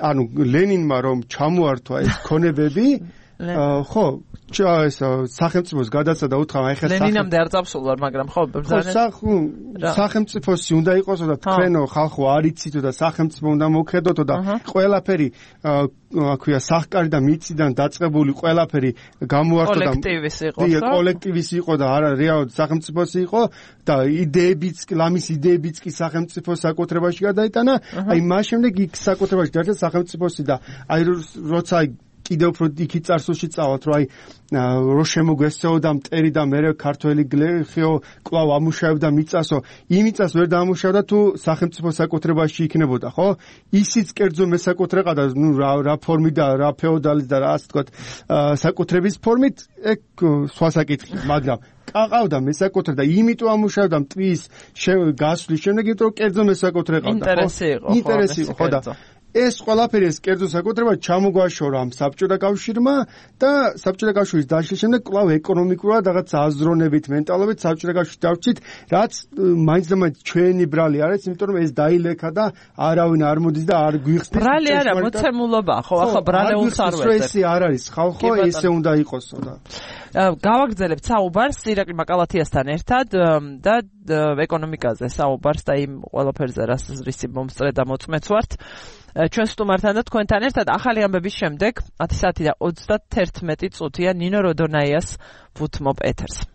ანუ ლენინმა რომ ჩამოართვა ეს ქონებები, ხო, ეს სახელმწიფოს გადაცა და უთხრა აი ხა ლენინამდე არ წავსულა, მაგრამ ხო სახელმწიფოსი უნდა იყოსო და თქვენო ხალხო არ იცითო და სახელმწიფო უნდა მოქმედოთო და ყველაფერი აქვია სახკარი და მიწიდან დაწყებული ყველაფერი გამოართვა და კოლექტივის იყო და არა რეალურად სახელმწიფოსი იყო და იდეებიც ლამის იდეებიც კი სახელმწიფოს საკუთრებაში გადაიტანა, აი მას შემდეგ იქ საკუთრებაში დაერქვა სახელმწიფოსი და აი როცა კიდევ უფრო იქით წარსულში წავალთ, რომ აი რო შემოგვესწეოდა მტერი და მე ქართველი გლეხიო კვლავ ამუშავებდა მიწასო, იმიწას ვერ დაამუშავდა თუ სახელმწიფო საკუთრებაში იქნებოდა, ხო? ისიც კერძო მესაკუთრება და ნუ რა ფორმით და რა ფეოდალის და რა ასე ვთქვათ, საკუთრების ფორმით, ეგ სხვა საკითხი, მაგრამ ყავდა მესაკუთრე და იმიტომ ამუშავდა მტრის გასვლის შემდეგ, იმიტომ რომ კერძო მესაკუთრე ყავდა, ხო? ინტერესი იყო, ხო და ეს ყველაფერი ეს კერძო საკუთრება ჩამოგვაშორა ამ საბჭოთა კავშირმა და საბჭოთა კავშირის დაშლის შემდეგ კვლავ ეკონომიკურად რაღაც აზროვნებით, მენტალობით საბჭოთა კავშირში დავრჩით, რაც მაინც და მაინც ჩვენი ბრალი არის, იმიტომ რომ ეს დაილექა და არავინ არ მოდის და არ გვიხსნის. ბრალი არა, მოცემულობაა, ხო, ახლა ბრალეულს არ ვეძებ. ეს არ არის ხალხო, ესე უნდა იყოსო და გავაგრძელებთ საუბარს ირაკლი მაკალათიასთან ერთად და ეკონომიკაზე საუბარს და იმ ყველაფერზე რისი მომსწრე და მოწმეც ვართ. ჩვენ სტუმართან და თქვენთან ერთად ახალი ამბების შემდეგ 10 საათი და 31 წუთია ნინო როდონაიას ვუთმობ ეთერს.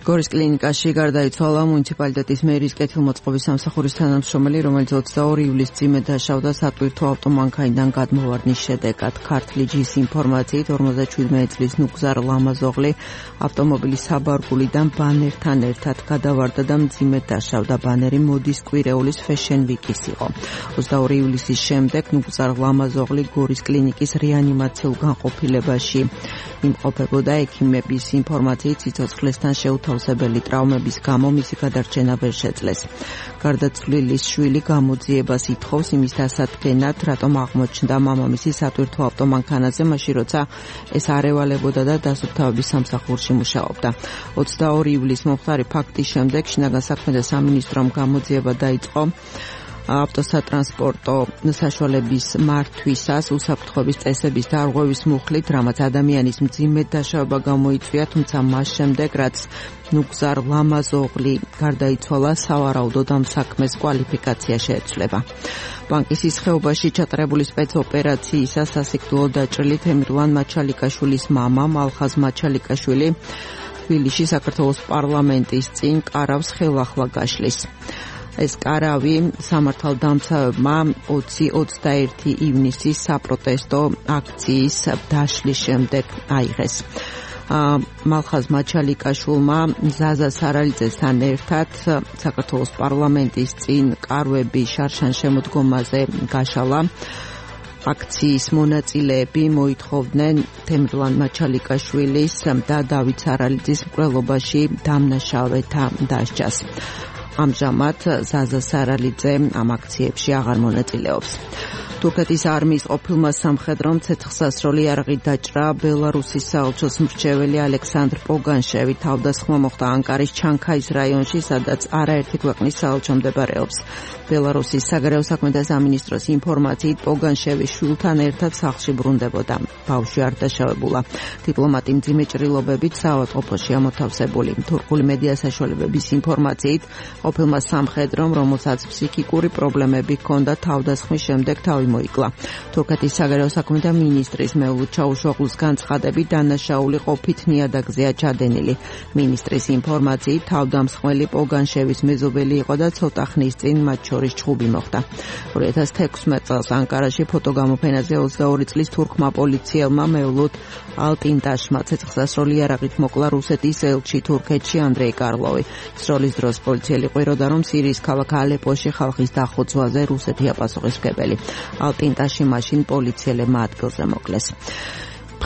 გორის კლინიკაში გარდაიცვალა მუნიციპალიტეტის მერის კეთილმოწყობის სამსახურის თანამშრომელი, რომელიც 22 ივლისს წიმედ დაშავდა სატვირთო ავტომანქანიდან გადმოვარდნის შედეგად. ქართლი ჯის ინფორმაციით 57 წლის ნუგზარ ლამაზოღლი ავტომობილის საბარგულიდან ბანერთან ერთად გადავარდა და მძიმედ დაშავდა. ბანერი მოდის კვირეულის Fashion Week-ის იყო. 22 ივლისის შემდეგ ნუგზარ ლამაზოღლი გორის კლინიკის რეანიმაციულ განყოფილებაში იმყოფებოდა. ექიმების ინფორმაციით სიცოცხლესთან შეუთავსებელი ტრაუმების გამო მისი გადარჩენა ვერ შეძლეს. გარდაცვლილის შვილი გამოძიებას ითხოვს იმის დასადგენად, რატომ აღმოჩნდა მამამისი სატვირთო ავტომანქანაზე, მაშინ როცა ეს არ ევალებოდა და დასუფთავების სამსახურში მუშაობდა. 22 ივლისს მომხდარი ფაქტის შემდეგ შინაგან საქმეთა სამინისტრომ გამოძიება დაიწყო ავტოსატრანსპორტო საშუალების მართვისას უსაფრთხოების წესების დარღვევის მუხლით, რამაც ადამიანის მძიმედ დაშავება გამოიწვია, თუმცა მას შემდეგ, რაც ნუგზარ ლამაზოღლი გარდაიცვალა, სავარაუდოდ ამ საქმეს კვალიფიკაცია შეეცვლება. ბანკის ხეობაში ჩატარებული სპეცოპერაციისას სასიკვდილო დაჭრილი თემირლან მაჩალიკაშვილის მამა მალხაზ მაჩალიკაშვილი თბილისში საქართველოს პარლამენტის წინ კარავს ხელახლა გაშლის. ეს კარავი სამართალდამცავებმა 20-21 ივნისის საპროტესტო აქციის დაშლის შემდეგ აიღეს. მალხაზ მაჩალიკაშვილმა ზაზა სარალიძესთან ერთად საქართველოს პარლამენტის წინ კარვები შარშან-შემოდგომაზე გაშალა. აქციის მონაწილეები მოითხოვდნენ თემირლან მაჩალიკაშვილის და დავით სარალიძის მკვლელობაში დამნაშავეთა დასჯას. ამჟამად ზაზა სარალიძე ამ აქციებში აღარ მონაწილეობს. თურქეთის არმიის ყოფილმა სამხედრომ ცეცხლსასროლი იარაღით დაჭრა ბელარუსის საელჩოს მრჩეველი ალექსანდრ პოგანშევი. თავდასხმა მოხდა ანკარის ჩანქაის რაიონში, სადაც არაერთი ქვეყნის საელჩო მდებარეობს. ბელარუსის საგარეო საქმეთა სამინისტროს ინფორმაციით პოგანშევი შვილთან ერთად სახლში ბრუნდებოდა. ბავშვი არ დაშავებულა. დიპლომატი მძიმე ჭრილობებით საავადმყოფოში ამოთავსებული. თურქული მედია საშუალებების ინფორმაციით ყოფილმა სამხედრომ, რომელსაც ფსიქიკური პრობლემები ჰქონდა, თავდასხმის შემდეგ თავი მოიკლა. თურქეთის საგარეო საქმეთა მინისტრის მევლუდ ჩაუშოღლის განცხადებით, დანაშაული ყოფით ნიადაგზეა ჩადენილი. მინისტრის ინფორმაციით თავდამსხმელი პოგანშევის მეზობელი იყო და ცოტა ხნის წინ მათ შორის ჩხუბი მოხდა. 2016 წელს ანკარაში ფოტოგამოფენაზე 22 წლის თურქმა პოლიციელმა მევლუდ ალტინტაშმა ცეცხლსასროლი იარაღით მოკლა რუსეთის ელჩი თურქეთში ანდრეი კარლოვი. სროლის დროს პოლიციელი ყვიროდა, რომ სირიის ქალაქ ალეპოში ხალხის დახოცვაზე რუსეთია პასუხისმგებელი. ალტინტაში მაშინ პოლიციელებმა ადგილზე მოკლეს.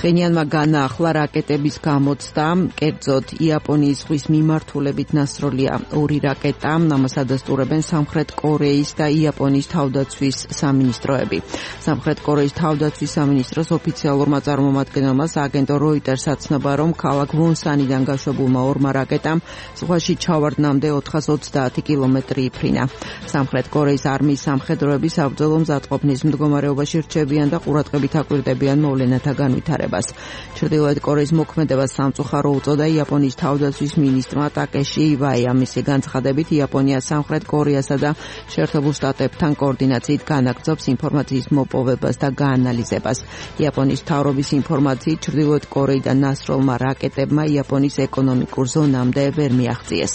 ფხენიანმა განაახლა რაკეტების გამოცდა, კერძოდ იაპონიის ზღვის მიმართულებით ნასროლია 2 რაკეტა, ამას ადასტურებენ სამხრეთ კორეის და იაპონიის თავდაცვის სამინისტროები. სამხრეთ კორეის თავდაცვის სამინისტროს ოფიციალურმა წარმომადგენელმა აგენტო როიტერს აცნობა, რომ ქალაქ ვონსანიდან გაშვებულმა 2 რაკეტამ ზღვაში ჩავარდნამდე 430 კილომეტრი იფრინა. სამხრეთ კორეის არმიის სამხედროები საბრძოლო მზადყოფნის მდგომარეობაში რჩებიან და ყურადღებით აკვირდებიან მოვლენათა განვითარებას. ჩრდილოეთ კორეის მოქმედებას სამწუხარო უწოდა იაპონიის თავდაცვის მინისტრმა ტაკეში ივაია. მისი განცხადებით იაპონია სამხრეთ კორეასა და შეერთებულ შტატებთან კოორდინაციით განაგრძობს ინფორმაციის მოპოვებას და გაანალიზებას. იაპონიის მთავრობის ინფორმაციით ჩრდილოეთ კორეიდან ნასროლმა რაკეტებმა იაპონიის ეკონომიკურ ზონამდე ვერ მიაღწიეს.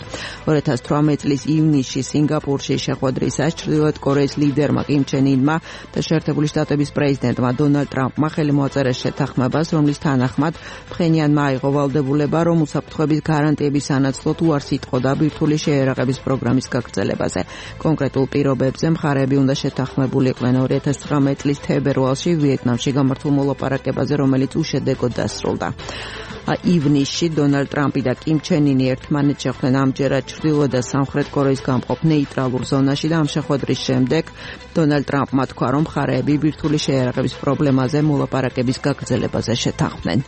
2018 წლის ივნისში სინგაპურში შეხვედრისას ჩრდილოეთ კორეის ლიდერმა კიმ ჩენ ინმა და შეერთებული შტატების პრეზიდენტმა დონალდ ტრამპმა ხელი მოაწერეს შეთანხმებას, რომლის თანახმად ფხენიანმა აიღო ვალდებულება, რომ უსაფრთხოების გარანტიების სანაცვლოდ უარს იტყოდა ბირთვული შეიარაღების პროგრამის გაგრძელებაზე. კონკრეტულ პირობებზე მხარეები უნდა შეთანხმებულიყვნენ 2019 წლის თებერვალში ვიეტნამში გამართულ მოლაპარაკებაზე, რომელიც უშედეგოდ დასრულდა. ივნისში დონალდ ტრამპი და კიმ ჩენ ინი ერთმანეთს შეხვდნენ ამჯერად ჩრდილო და სამხრეთ კორეის გამყოფ ნეიტრალურ ზონაში და ამ შეხვედრის შემდეგ დონალდ ტრამპმა თქვა, რომ მხარეები ბირთვული შეიარაღების პრობლემაზე მოლაპარაკების გაგრძელებაზე შეთანხმდნენ.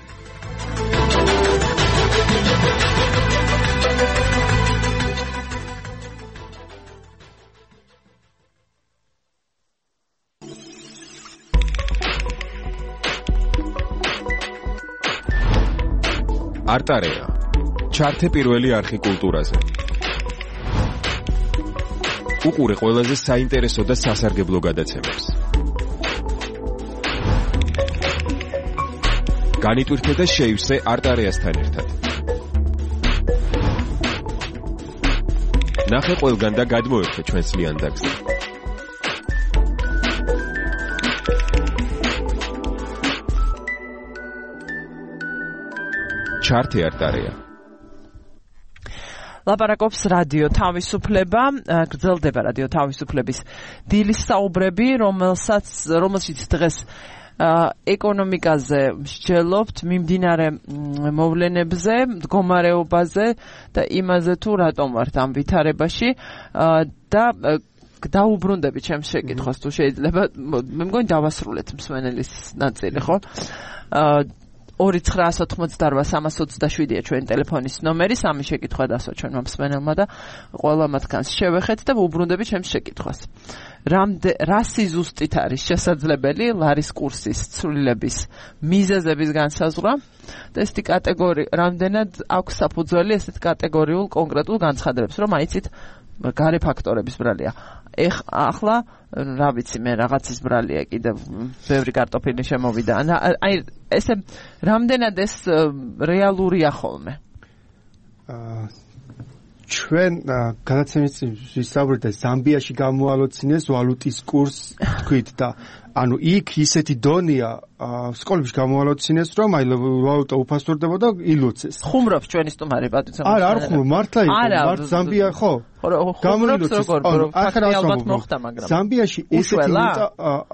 არტარეა. ჩართე პირველი არხი კულტურაზე. უყურე ყველაზე საინტერესო და სასარგებლო გადაცემებს. განიტვირთე და შეივსე არტარეასთან ერთად. ნახე ყველგან და გადმოერთე ჩვენს ლიანდაგზე. ჩართე არტარეა. ლაპარაკობს რადიო თავისუფლება, გრძელდება რადიო თავისუფლების დილის საუბრები, რომელშიც დღეს ეკონომიკაზე მსჯელობთ, მიმდინარე მოვლენებზე, მდგომარეობაზე და იმაზე თუ რატომ ვართ ამ ვითარებაში და დაუბრუნდები ჩემს შეკითხვას თუ შეიძლება, მე მგონი დავასრულეთ მსმენელის ნაწილი, ხო? 2-988-327-ია ჩვენი ტელეფონის ნომერი, სამი შეკითხვა დასვა ჩვენმა მსმენელმა და ყველა მათგანს შევეხეთ და ვუბრუნდები ჩემს შეკითხვას. რა სიზუსტით არის შესაძლებელი ლარის კურსის ცვლილების მიზეზების განსაზღვრა და ესეთი კატეგორია, რამდენად აქვს საფუძველი ესეთ კატეგორიულ კონკრეტულ განცხადებებს, რომ აიცით გარე ფაქტორების ბრალია. ახლა რა ვიცი მე რაღაცის ბრალია კიდევ ბევრი კარტოფილი შემოვიდა. აი ესე რამდენად ეს რეალურია ხოლმე? ჩვენ გადაცემის ვისაუბრეთ და ზამბიაში გამოალოცინეს ვალუტის კურს თქვით და ანუ იქ ისეთი დონეა სკოლებში გამოალოცინეს რომ აი ვალუტა უფასურდებოდა ილოცეს. ხუმრობს ჩვენი სტუმარი პატიცო. არა არ ხუმრობ მართლა იყო მართ ზამბია ხო? გამოილოცეს. ალბათ მოხდა მაგრამ ზამბიაში ესეთი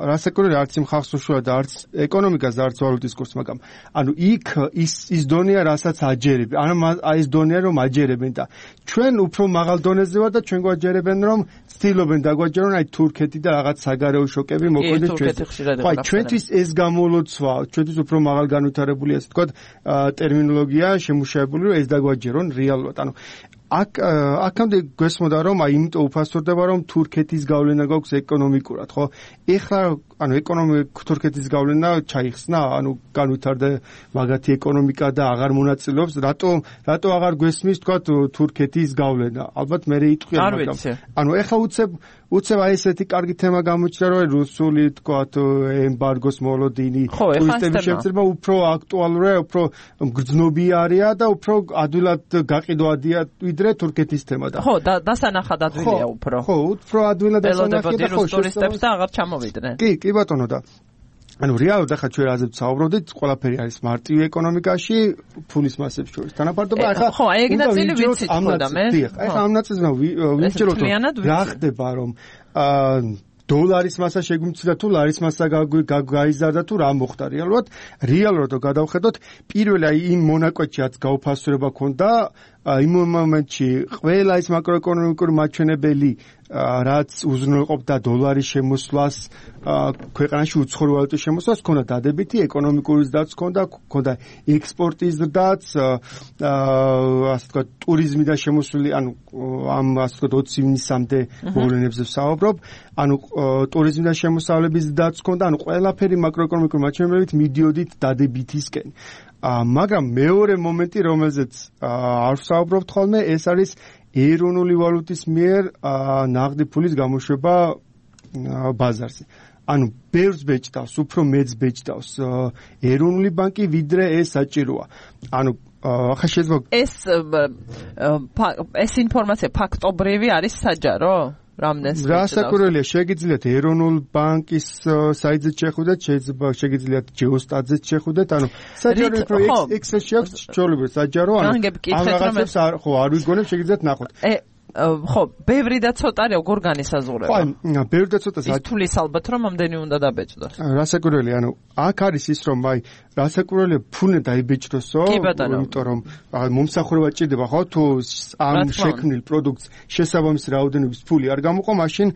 რასაკურველი არც იმ ხალხს უშუალო და არც ეკონომიკას და არც ვალუტის კურსს მაგრამ ანუ იქ ის დონეა რასაც აჯერებენ. ანუ ეს დონეა რომ აჯერებენ და ჩვენ უფრო მაღალ დონეზე ვარ და ჩვენ გვაჯერებენ რომ ცდილობენ დაგვაჯერონ აი თურქეთი და რაღაც საგარეო შოკები მოქმედებს ჩვენ. აი ჩვენთვის ეს გამოლოცვა ჩვენთვის უფრო მაღალ განვითარებული ასე თქვა ტერმინოლოგია შემუშავებული რომ ეს დაგვაჯერონ რეალურად. ანუ აქამდე გვესმოდა რომ აი იმიტომ უფასურდება რომ თურქეთის გავლენა გვაქვს ეკონომიკურად, ხო? ეხლა ანუ თურქეთის გავლენა ჩაიხსნა, ანუ განვითარდა მაგათი ეკონომიკა და აღარ მონაწილეობს, რატო აღარ გვესმის თქვა თურქეთის გავლენა? ალბათ მე იტყვია მაგრამ ანუ ეხლა უცებ აი ესეთი კარგი თემა გამოჩნდა რომ რუსული თქვა ემბარგოს მოლოდინი ტურისტების შემწირება უფრო აქტუალურია, უფრო გრძნობიარია და უფრო ადვილად გაყიდვადია ვიდრე თურქეთის თემა და ხო დასანახად ადვილია უფრო. ხო, უფრო ადვილად დასანახია და ხო ტურისტებს და აღარ ჩამოვიდნენ. კი ბატონო და ანუ რეალურად ახლა ჩვენ რაზეც ვსაუბრობდით, ყველაფერი არის მარტივი ეკონომიკაში, ფულის მასებს შორის. თანაბარდობა ახლა ხო, აი ეგ ნაწილი ვიცით ხო და მე. ახლა ამ ნაწილს ვიმსჯელოთ რა ხდება რომ დოლარის მასა შეგვიმცირდა თუ ლარის მასა გაიზარდა თუ რა მოხდა რეალურად რო გადავხედოთ პირველი აი იმ მონაკვეთში რაც გაუფასურება ქონდა იმ მომენტში ყველა ის მაკროეკონომიკური მაჩვენებელი რაც უზრუნველყოფდა დოლარის შემოსვლას ქვეყანაში უცხოური ვალუტის შემოსვლას ქონდა დადებითი ეკონომიკური ზრდაც ქონდა ექსპორტის ზრდაც ასე ვთქვათ ტურიზმიდან შემოსული ანუ ამ ასე ვთქვათ 20 ივნისამდე მოვლენებზე ვსაუბრობ ანუ ტურიზმიდან შემოსავლების ზრდაც ქონდა ანუ ყველაფერი მაკროეკონომიკური მაჩვენებლებით მიდიოდით დადებითისკენ მაგრამ მეორე მომენტი რომელზეც არ ვსაუბრობთ ხოლმე ეს არის ეროვნული ვალუტის მიერ ნაღდი ფულის გამოშვება ბაზარზე. ანუ ბევრს ბეჭდავს, უფრო მეც ბეჭდავს ეროვნული ბანკი, ვიდრე ეს საჭიროა. ანუ ახლა შეიძლება ეს ინფორმაცია ფაქტობრივი არის საჯარო? რასაკვირველია, შეგიძლიათ ეროვნულ ბანკის საიტზე შეხვიდეთ, შეგიძლიათ ჯეოსტატზე შეხვიდეთ, ანუ საჯარო უფრო Excel-ში აქვს ჩვეულებრივ საჯარო, ანუ ამ რაღაცებს არ ვიგონებ, შეგიძლიათ ნახოთ. ხო, ბევრი და ცოტა როგორ განისაზღვრება? ხო, ბევრი და ცოტა ის თulis ალბათ რომ ამდენი უნდა დაბეჭდოს. რასაკვირველია, ანუ აქ არის ის რომ აი რასაკვირველია ფული დაიბეჭდოსო, იმიტომ რომ მომსახურება ჭირდება ხო თუ ამ შექმნილ პროდუქტს შესაბამისი რაოდენობის ფული არ გამოყო, მაშინ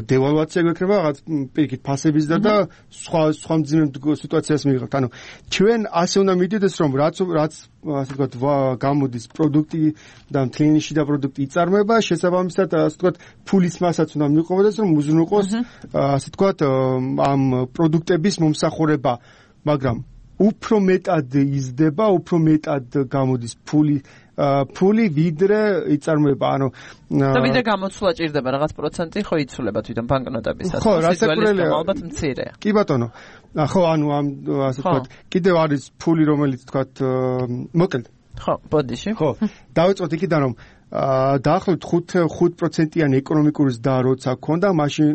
დევალვაცია გვექნება რაღაც პირიქით ფასების და სხვა მძიმე სიტუაციას მიიღებთ. ანუ ჩვენ ასე უნდა მიდიოდეს რომ რაც ასე ვთქვათ გამოდის პროდუქტი და მთლიანში და პროდუქტი იწარმოება, შესაბამისად ასე ვთქვათ ფულის მასაც უნდა მიყვებოდეს რომ უზრუნველყოს ასე ვთქვათ ამ პროდუქტების მომსახურება, მაგრამ უფრო მეტად იზრდება, უფრო მეტად გამოდის ფული ვიდრე იწარმოება, ანუ და ვიდრე გამოცვლა ჭირდება რაღაც პროცენტი ხო იცვლება თვითონ ბანკნოტების ხო, რასაკვირველია, ალბათ მცირეა. კი ბატონო. ხო, ანუ ამ ასე ვთქვათ, კიდევ არის ფული, რომელიც ვთქვათ, მოკლედ. ხო, ბოდიში. ხო, დავიწყოთ იქიდან რომ დაახლოებით 5%-იანი ეკონომიკური ზრდა როცა ქონდა, მაშინ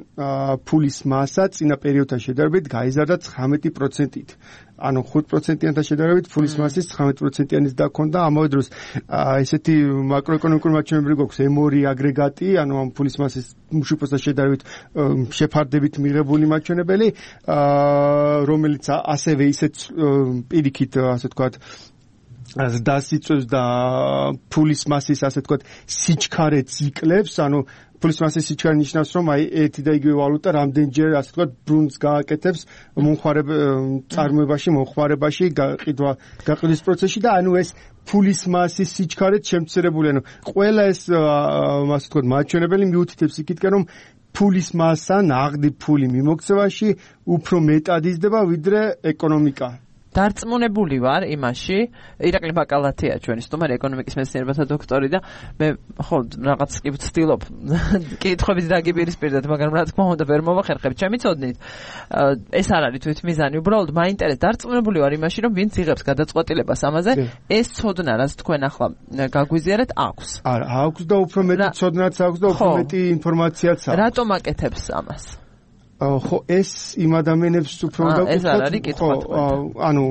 ფულის მასა წინა პერიოდთან შედარებით გაიზარდა 19%-ით. ანუ 5%-იანთან შედარებით ფულის მასის 19%-იანი ზრდა ქონდა. ამავე დროს ესეთი მაკროეკონომიკური მაჩვენებლები გვაქვს M2 აგრეგატი, ანუ ამ ფულის მასის მშუპოსთან შედარებით შეფარდებით მიღებული მაჩვენებელი, რომელიც ასევე ისეთ პირიქით, ასე ვთქვათ, დასიწვევს და ფულის მასის ასე ვთქვათ სიჩქარეც იკლებს, ანუ ფულის მასის სიჩქარე ნიშნავს რომ აი ერთი და იგივე ვალუტა რამდენჯერ ასე ვთქვათ ბრუნს გააკეთებს მომხმარებაში გაყიდვის პროცესში და ანუ ეს ფულის მასის სიჩქარეც შემცირებული, ანუ ყველა ეს ასე ვთქვათ მაჩვენებელი მიუთითებს იქითკენ რომ ფულის მასა ნაღდი ფული მიმოქცევაში უფრო მეტად იზრდება ვიდრე ეკონომიკა. დარწმუნებული ვარ იმაში, ირაკლი ბაკალათია ჩვენი სტუმარი ეკონომიკის მეცნიერებათა დოქტორი და მე ხო რაღაც კი ვცდილობ კითხვებით დაგიპირისპირდეთ, მაგრამ რა თქმა უნდა ვერ მოვახერხებ. ჩემი ცოდნით ეს არ არის თვითმიზანი, უბრალოდ მაინტერესებს, დარწმუნებული ვარ იმაში, რომ ვინც იღებს გადაწყვეტილებას ამაზე, ეს ცოდნა, რაც თქვენ ახლა გაგვიზიარეთ, აქვს. არა, აქვს და უფრო მეტი ცოდნაც აქვს და უფრო მეტი ინფორმაციაც აქვს. რატომ აკეთებს ამას? ხო, ეს იმ ადამიანებს უფრო უნდა ეს არ არის კითხვა. ანუ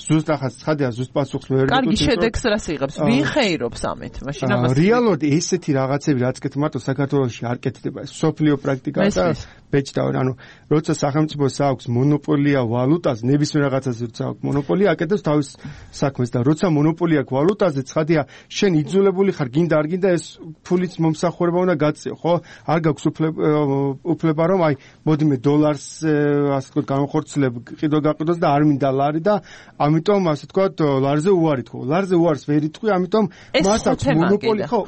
ზუსტ ახაც ცხადია, ზუსტ პასუხს ვერ ვერგებთ. კარგი, შედეგს რას იღებს? ვინ ხეირობს ამით? მაშინ ამას რეალურად ესეთი რაღაცები რაც კეთ მარტო საქართველოში არ კეთდება. ეს სოფლიო პრაქტიკაა და ბეჭდავენ. ანუ როცა სახელმწიფოს აქვს მონოპოლია ვალუტაზე, ნებისმიერ რაღაცაზე როცა აქვს მონოპოლია, აკეთებს თავის საქმეს და როცა მონოპოლია აქვს ვალუტაზე, ცხადია, შენ იძულებული ხარ, გინდა არ გინდა ეს ფულით მომსახურება უნდა გაწიო, ხო? არ გაქვს უფლება რომ აი, მოდი მე დოლარს ასე ვთქვათ განხორციელებ, გაყიდოს და არ მინდა ლარი და ამიტომ ასე ვთქვათ ლარზე უარი თქო. ლარზე უარს ვერ იტყვი, ამიტომ მას აქვს მონოპოლი, ხო,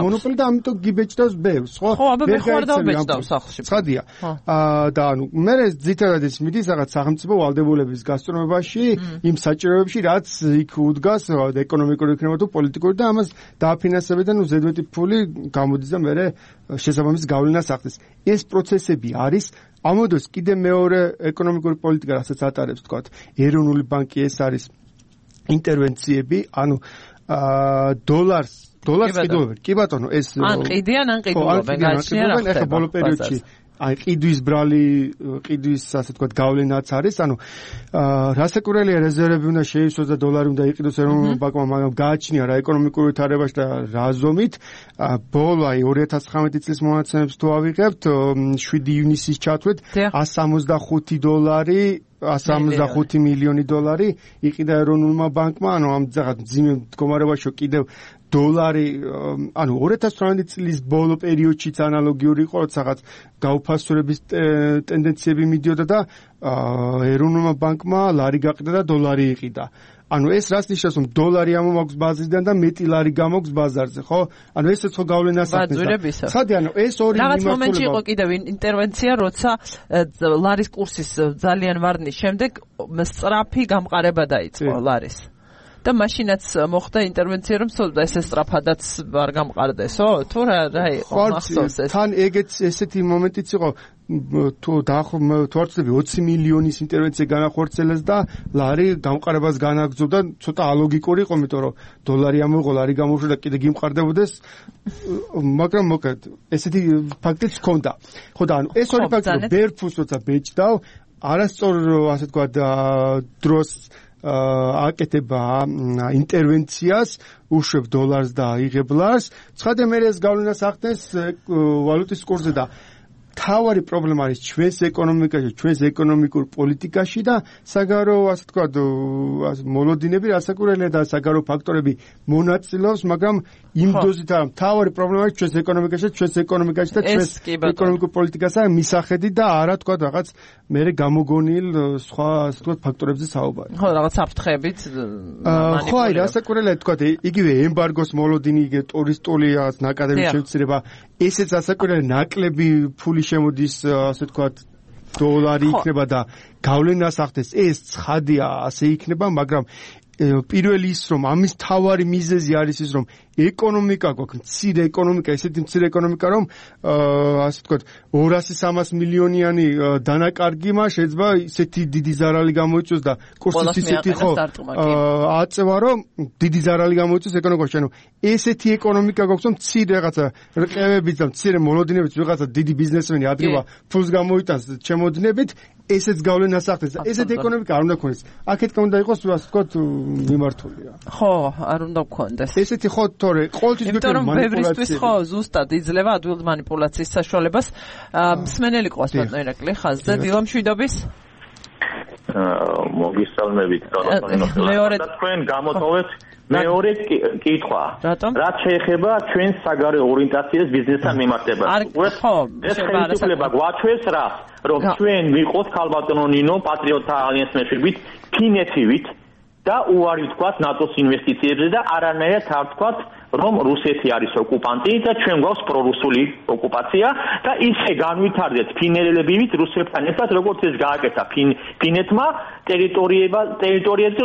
მონოპოლი და ამიტომ გიბეჭდავს ბევრს, ხო? ხო, აბა მე ხარ დავბეჭდავ სახლში. ცხადია. და ანუ მე ძირითადად ის მიდის რაღაც სახელმწიფო ვალდებულების გასწრომებაში, იმ საჭიროებებში, რაც იქ უდგას ეკონომიკური იქნება თუ პოლიტიკური და ამას დააფინანსებენ და ზედმეტი ფული გამოდის და მე შესაბამის გავლენას ახდენს. ეს პროცესები არის ამოდოს კიდე მეორე ეკონომიკური პოლიტიკა, რასაც ატარებს თქვათ ეროვნული ბანკი, ეს არის ინტერვენციები, ანუ დოლარს ყიდულობენ. კი ბატონო, ეს ან ყიდიან, ან ყიდულობენ, გაჩნია რა ხდება. ახლა ბოლო პერიოდში აი ყიდვის ბრალი, ყიდვის ასე ვთქვათ გავლენაც არის, ანუ რასაკვირველია რეზერვები უნდა შეივსოს და დოლარი უნდა იყიდოს ეროვნულ ბანკმა, მაგრამ გააჩნია რა ეკონომიკური ვითარებაში და რა ზომით. ბოლო აი 2019 წლის მონაცემებს თუ ავიღებთ, 7 ივნისის ჩათვლით $165 $165 მილიონი იყიდა ეროვნულმა ბანკმა, ანუ ამ ძაღად ძიმე მდგომარეობაში კიდევ დოლარი, ანუ 2018 წლის ბოლო პერიოდშიც ანალოგიური იყო, როცა რაღაც გაუფასურების ტენდენციები მიდიოდა და ეროვნულმა ბანკმა ლარი გაყიდა და დოლარი იყიდა. ანუ ეს რას ნიშნავს, რომ დოლარი ამოაქვს ბაზისიდან და მეტი ლარი გამოაქვს ბაზარზე, ხო? ანუ ესეც ხო გავლენას ახდენს. ხადი, ანუ ეს ორი რაღაც მომენტში იყო კიდევ ინტერვენცია, როცა ლარის კურსის ძალიან ვარდნის შემდეგ სწრაფი გამყარება დაიწყო ლარის. და მაშინაც მოხდა ინტერვენცია, რომ ესე სწრაფადაც არ გამყარდესო? თუ რა იყო მახსოვს ეს? თან ესეთი მომენტიც იყო, თუ არ ვწდები 20 მილიონის ინტერვენცია განახორციელეს და ლარი გამყარებას განაგრძობდა, ცოტა ალოგიკური იყო, იმიტომ რომ დოლარი ამოიღო, ლარი გამოუშვა და კიდე გიმყარდებოდეს, მაგრამ მოკლედ ესეთი ფაქტიც ჰქონდა. ხო და ანუ ეს ორი ფაქტი ბერფუს როცა ბეჭდავ, არასწორ ასე თქვა დროს აკეთება ინტერვენციას, უშვებ დოლარს და იღებ ლარს, ცხადე მე ეს გავლენას ახდენს ვალუტის კურსზე და თავარი პრობლემა არის ჩვენს ეკონომიკაში, ჩვენს ეკონომიკურ პოლიტიკაში და საგარეო ასე თქვა მოლოდინები, რასაკვირველია და საგარეო ფაქტორები მონაწილეობს, მაგრამ იმ დოზით არა, თავარი პრობლემა არის ჩვენს ეკონომიკაში, ჩვენს ეკონომიკაში და ჩვენს ეკონომიკურ პოლიტიკასა მისახედი და არა თქვა რაღაც მე გამოგონილ სხვა ასე თქვა ფაქტორებზე საუბარი. ხო, რაღაც საფრთხებით მანიპულირება. ხო, აი რასაკვირველია თქვა იგივე ემბარგოს მოლოდინი, იგივე ტურისტული ნაკადების შევცირება, ესეც რასაკვირველია ნაკლები ფული შემოდის ასე ვთქვათ დოლარი იქნება და გავლენას ახდენს. ეს ცხადია, ასე იქნება, მაგრამ პირველი ის რომ ამის თავარი მიზეზი არის ის რომ ეკონომიკა გვაქვს, მცირე ეკონომიკა, ესეთი მცირე ეკონომიკა რომ ასე ვთქვათ 200-300 მილიონიანი დანაკარგიმა შეიძლება ისეთი დიდი ზარალი გამოიწვიოს და კურსიც ისეთი ხო აწევა რომ დიდი ზარალი გამოიწვიოს ეკონომიკაში. ანუ ესეთი ეკონომიკა გვაქვს რომ მცირე რაღაცა რყევებით და მცირე მოლოდინებით ვიღაცა დიდი ბიზნესმენი ადგება ფულს გამოიტანს ჩემოდნებით, ესეც გავლენას ახდენს. ესეთი ეკონომიკა არ უნდა გქონდეს. აქეთკენ უნდა იყოს ასე ვთქვათ მიმართულია. ხო, არ უნდა გქონდეს. ესეთი ხო თორე ყოველთვის გვექნება მანიპულაცია. ხო, ზუსტად იძლევა ადვილ მანიპულაციის საშუალებას. მსმენელი ყავს ბატონო ირაკლი ხაზზე, დილამშვიდობის. მოგისალმებით, მეორე თქვენ გამოტოვეთ მეორე კითხვა. რაც შეეხება ჩვენს საგარეო ორიენტაციას ბიზნესთან მიმართებაში. ეს ხელისუფლება გვაჩვენს რა, რომ ჩვენ ვიყოთ ქალბატონო ნინო პატრიოტთა ალიანსის მეშვეობით, ფინეთივით და უარი ვთქვათ ნატოს ინვესტიციებზე და არანაირად არ ვთქვათ რომ რუსეთი არის ოკუპანტი და ჩვენ გვაქვს პრორუსული ოკუპაცია და ისე განვითარდეთ ფინელებივით რუსებთან ერთად როგორც ეს გააკეთა ფინეთმა ტერიტორიებზე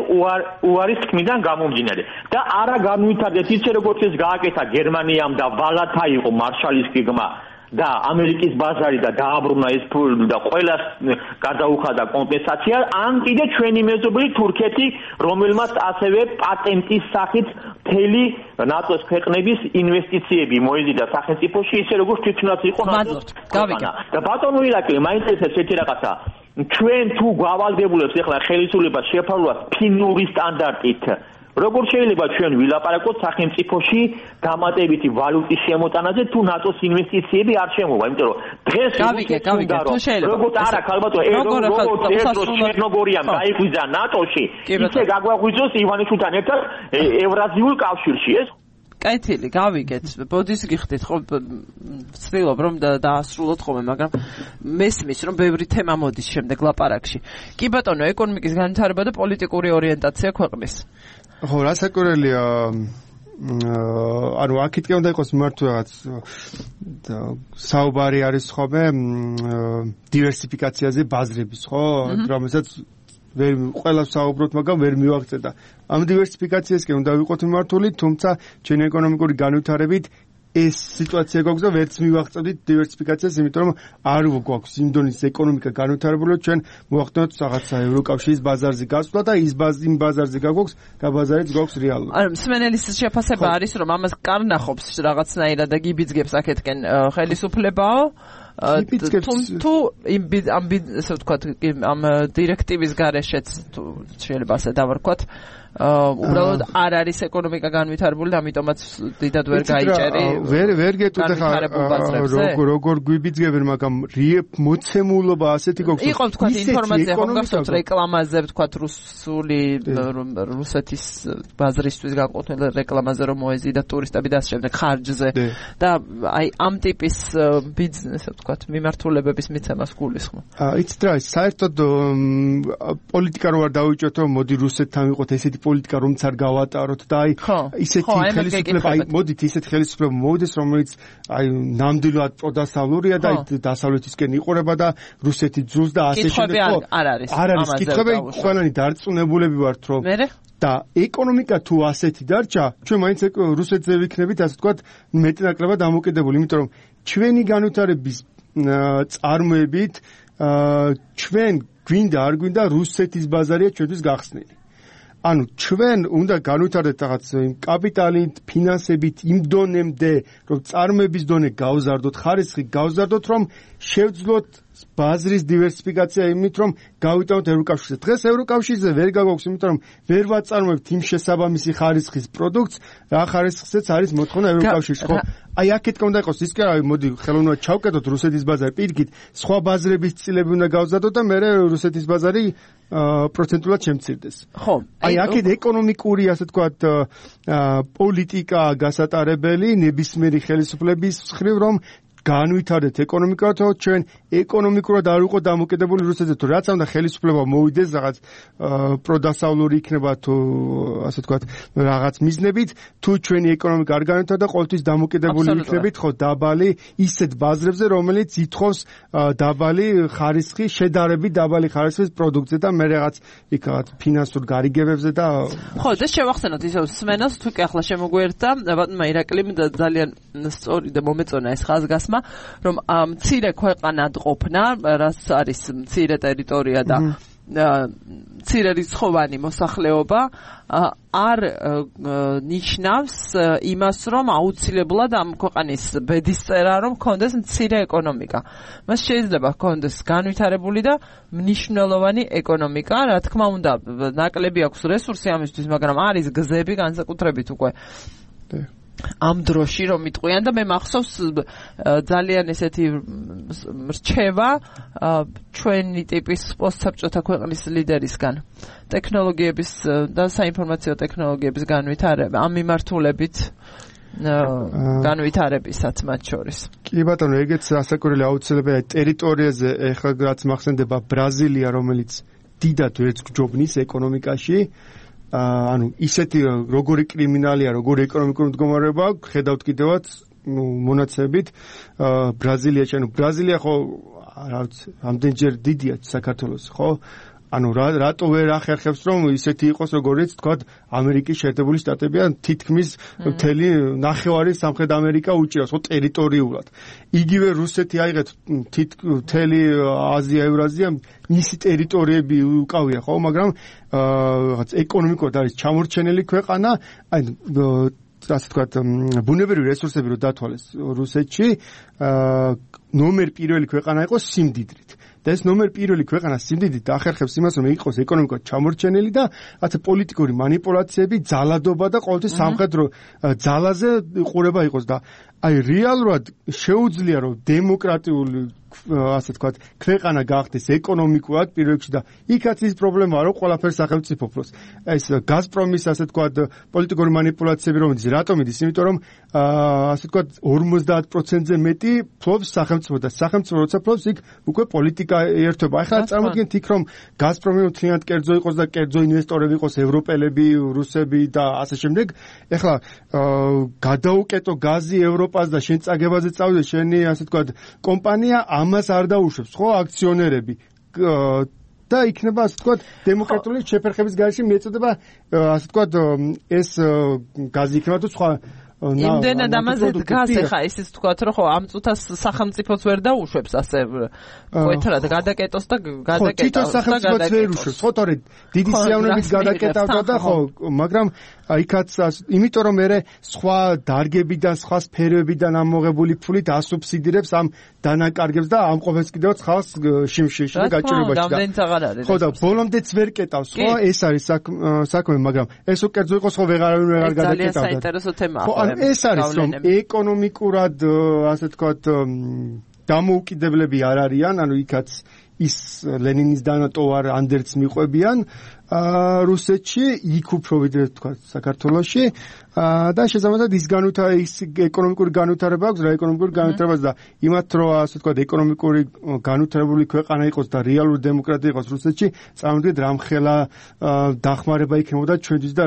უარის თქმიდან გამომდინარე და არა განვითარდეთ ისე როგორც ეს გააკეთა გერმანიამ და ვალათა იყო მარშალის გეგმა და ამერიკის ბაზარი და დააბრუნა ეს ფული და ყველას გადაუხადა კომპენსაცია, ან კიდე ჩვენი მეზობელი თურქეთი, რომელმაც ასევე პატენტის სახით მთელი ნატოს ქვეყნების ინვესტიციები მოიზიდა სახელმწიფოში, ისე როგორც თვითონაც იყო ნატოს. და ბატონო ირაკლი, მაინტერესებს ერთი რაღაცა. ჩვენ თუ გავალდებულებს ახლა ხელისუფლებას შეფარულად ფინური სტანდარტით, როგორ შეიძლება ჩვენ ვილაპარაკოთ სახელმწიფოში დამატებითი ვალუტის შემოტანაზე თუ ნატოს ინვესტიციები არ შემოვა, იმიტომ რომ დღეს როგორც არა ქალბატონო როგორც ჩერნოგორიამ გაიღვიძა ნატოში, ისე გაგვაღვიძოს ივანიშვილთან ერთად ევრაზიულ კავშირში ეს კეთილი, გავიგეთ. ბოდის გიხდით, ხო, ვცდილობ რომ დაასრულოთ ხოლმე, მაგრამ მესმის რომ ბევრი თემა მოდის შემდეგ ლაპარაკში. კი ბატონო, ეკონომიკის განვითარება და პოლიტიკური ორიენტაცია ქვეყნის. ხო, რასაკვირველია, ანუ აქეთკენ უნდა იყოს მიმართული რაღაც საუბარი არის ხოლმე დივერსიფიკაციაზე ბაზრების, ხო, რომელსაც ვერ ყველა საუბრობთ, მაგრამ ვერ მივაღწევ და ამ დივერსიფიკაციასკენ უნდა ვიყოთ მიმართული, თუმცა ჩვენი ეკონომიკური განვითარებით ეს სიტუაცია გვაქვს და ვერც მივაღწევთ დივერსიფიკაციას, იმიტომ რომ არ გვაქვს იმ დონის ეკონომიკა განვითარებული, ჩვენ მოვახდინოთ რაღაცა ევროკავშირის ბაზარზე გასვლა და იმ ბაზარზე გაგვაქვს გაბაზარიც გვაქვს რეალურად. ანუ მსმენელის შეფასება არის, რომ ამას კარნახობს რაღაცნაირად და გიბიძგებს აქეთკენ ხელისუფლებაო, თუ ესე ვთქვათ, ამ დირექტივის გარეშეც თუ შეიძლება ასე დავარქვათ, უბრალოდ არ არის ეკონომიკა განვითარებული და ამიტომაც დიდად ვერ გაიჭერი. ვერ გეტყვით ახლა როგორ გვიბიძგებენ, მაგრამ მოცემულობა ასეთი გვაქვს. იყო ვთქვათ ინფორმაცია ხომ გახსოვთ რეკლამაზე ვთქვათ რუსეთის ბაზრისთვის განკუთვნილ რეკლამაზე რომ მოეზიდა ტურისტები და ასე შემდეგ ხარჯზე და აი ამ ტიპის ბიზნესზე ვთქვათ მიმართულებების მიცემას გულისხმობ. იცით რა, საერთოდ პოლიტიკა რო არ დავიჭოთ რომ მოდი რუსეთთან ვიყოთ ესეთი პოლიტიკა რომც არ გავატაროთ და აი ისეთი ხელისუფლება აი მოდით ისეთი ხელისუფლება მოვიდეს რომელიც აი ნამდვილად პროდასავლურია და აი დასავლეთისკენ იყურება და რუსეთი ძულს და ასე შემდეგ არ არის კითხვები ყველანი დარწმუნებულები ვართ რომ და ეკონომიკა თუ ასეთი დარჩა ჩვენ მაინც რუსეთზე ვიქნებით ასე ვთქვათ მეტნაკლებად დამოკიდებული იმიტომ რომ ჩვენი განვითარების წარმოებით ჩვენ გვინდა არ გვინდა რუსეთის ბაზარია ჩვენთვის გახსნილი ანუ ჩვენ უნდა განვითარდეთ რაღაც კაპიტალით, ფინანსებით იმ დონემდე, რომ წარმოების დონე გავზარდოთ, ხარისხი გავზარდოთ, რომ შევძლოთ ბაზრის დივერსიფიკაცია იმით, რომ გავიტანოთ ევროკავშირზე. დღეს ევროკავშირზე ვერ გაგვაქვს, იმიტომ რომ ვერ ვაწარმოებთ იმ შესაბამისი ხარისხის პროდუქტს, რა ხარისხზეც არის მოთხოვნა ევროკავშირში, ხო? აი აქეთ უნდა იყოს ის კი არა, მოდი ხელოვნურად ჩავკეტოთ რუსეთის ბაზარი პირიქით, სხვა ბაზრების წილები უნდა გავზადოთ და მერე რუსეთის ბაზარი პროცენტულად შემცირდეს. ხო. აი აქეთ ეკონომიკური, ასე ვთქვათ, პოლიტიკა გასატარებელი ნებისმიერი ხელისუფლების მხრივ, რომ განვითარდეთ ეკონომიკურად, ჩვენ ეკონომიკურად არ ვიყოთ დამოკიდებული რუსეთზე, თუ რაც უნდა ხელისუფლება მოვიდეს რაღაც პროდასავლური იქნება თუ ასე ვთქვათ, რაღაც მიზნებით, თუ ჩვენი ეკონომიკა არ განვითარდა, ყოველთვის დამოკიდებული იქნებით ხო დაბალი ისეთ ბაზრებზე, რომელიც ითხოვს დაბალი ხარისხი, შედარებით დაბალი ხარისხის პროდუქტზე და მე რაღაც იქ რაღაც ფინანსურ გარიგებებზე და ხო, და შევახსენოთ ისევ სმენას, თუ კი ახლა შემოგვერთა, ბატონმა ირაკლიმ ძალიან სწორი და მომეწონა ეს ხაზგასმა რომ მცირე ქვეყანად ყოფნა, რაც არის მცირე ტერიტორია და მცირე რიცხოვანი მოსახლეობა არ ნიშნავს იმას, რომ აუცილებლად ამ ქვეყანის ბედისწერა რომ ჰქონდეს მცირე ეკონომიკა. მას შეიძლება ჰქონდეს განვითარებული და მნიშვნელოვანი ეკონომიკა, რა თქმა უნდა, ნაკლები აქვს რესურსი ამისთვის, მაგრამ არის გზები განსაკუთრებით უკვე ამ დროში რომ იტყვიან და მე მახსოვს ძალიან ესეთი რჩევა ჩვენი ტიპის პოსტსაბჭოთა ქვეყნის ლიდერისგან ტექნოლოგიების და საინფორმაციო ტექნოლოგიების განვითარება ამ მიმართულებით განვითარებისაც მათ შორის. კი ბატონო, ეგეც ასაკურველი აუცილებელია ტერიტორიაზე ეხლა რაც მახსენდება ბრაზილია, რომელიც დიდად ვერც გჯობნის ეკონომიკაში ანუ ისეთი როგორი კრიმინალია, როგორი ეკონომიკური მდგომარეობა, ხედავთ კიდევაც მონაცემებით ბრაზილიაში, ანუ ბრაზილია ხო ამდენჯერ დიდია საქართველოს, ხო? ანუ რატო ვერ ახერხებს რომ ისეთი იყოს როგორიც თქვათ ამერიკის შეერთებული შტატები ან თითქმის მთელი ნახევარი სამხრეთ ამერიკა უჭირავს ხო ტერიტორიულად. იგივე რუსეთი აიღეთ მთელი აზია, ევრაზია მისი ტერიტორიები უკავია ხო, მაგრამ რაღაც ეკონომიკურად არის ჩამორჩენილი ქვეყანა, აი ასე ვთქვათ, ბუნებრივი რესურსები რო დათვალეს რუსეთში, ნომერ პირველი ქვეყანა იყო სიმდიდრით. და ეს ნომერ პირველი ქვეყანა სიმდიდრით ახერხებს იმას, რომ იყოს ეკონომიკურად ჩამორჩენილი და ასე პოლიტიკური манипуляციები, ძალადობა და ყოველთვის სამხედრო ძალაზე ყურება იყოს და აი რეალურად შეუძლია რომ დემოკრატიული ასე ვთქვათ, ქვეყანა გახდეს ეკონომიკურად პირველ რიგში და იქაც ის პრობლემაა, რომ ყველაფერს სახელმწიფო ფლობს. ეს გაზპრომის ასე ვთქვათ, პოლიტიკური манипуляციები რომელიც რატომ იდის? იმიტომ რომ ასე ვთქვათ 50%-ზე მეტი ფლობს სახელმწიფო და სახელმწიფო როცა ფლობს, იქ უკვე პოლიტიკა ერთობა. ახლა წარმოგიდგენთ იქ რომ გაზპრომი მთლიანად კერძო იყოს და კერძო ინვესტორები იყოს ევროპელები, რუსები და ასე შემდეგ. ახლა გადაუკეტო გაზი ევროპას და შენ წაგებაზე წავიდე შენი ასე ვთქვათ კომპანია ამას არ დაუშვებს ხო აქციონერები და იქნება ასე ვთქვათ დემოკრატიული შეფერხების გარეშე მიეწოდება ასე ვთქვათ ეს გაზი იქნება თუ სხვა იმდენად ამაზე დგას ახლა ისიც თქვათ რომ ხო ამ წუთას სახელმწიფოც ვერ დაუშვებს ასე კვეთრად გადაკეტოს და გადაკეტავს. თვითონ სახელმწიფოც ვერ უშვებს. ხო, თორე დიდი სიამოვნებით გადაკეტავდა და ხო, მაგრამ იქაც იმიტომ რომ მე სხვა დარგებიდან, სხვა სფეროებიდან ამოღებული ფულით ასუბსიდირებს ამ დანაკარგებს და ამ ყოველს კიდევ ხალხს შიმშილში და გაჭირებაში. ხო და ბოლომდეც ვერ კეტავს, ხო, ეს არის საქმე, მაგრამ ეს უკერძო იყოს ხო ვეღარ გადაკეტავდა. საინტერესო თემაა. ხო, ეს არის რომ ეკონომიკურად ასე თქვათ დამოუკიდებლები არ არიან, ანუ იქაც ის ლენინის დანატოვარ ანდერც მიყვებიან რუსეთში, იქ უფრო ვიდრე თქვა საქართველოში და შესაბამისად ის ეკონომიკური განვითარება აქვს რა ეკონომიკური განვითარებაც და იმათ რომ ასე თქვა ეკონომიკური განვითარებული ქვეყანა იყოს და რეალური დემოკრატია იყოს რუსეთში, წარმოვიდგინეთ რამხელა დახმარება იქნებოდა ჩვენთვის და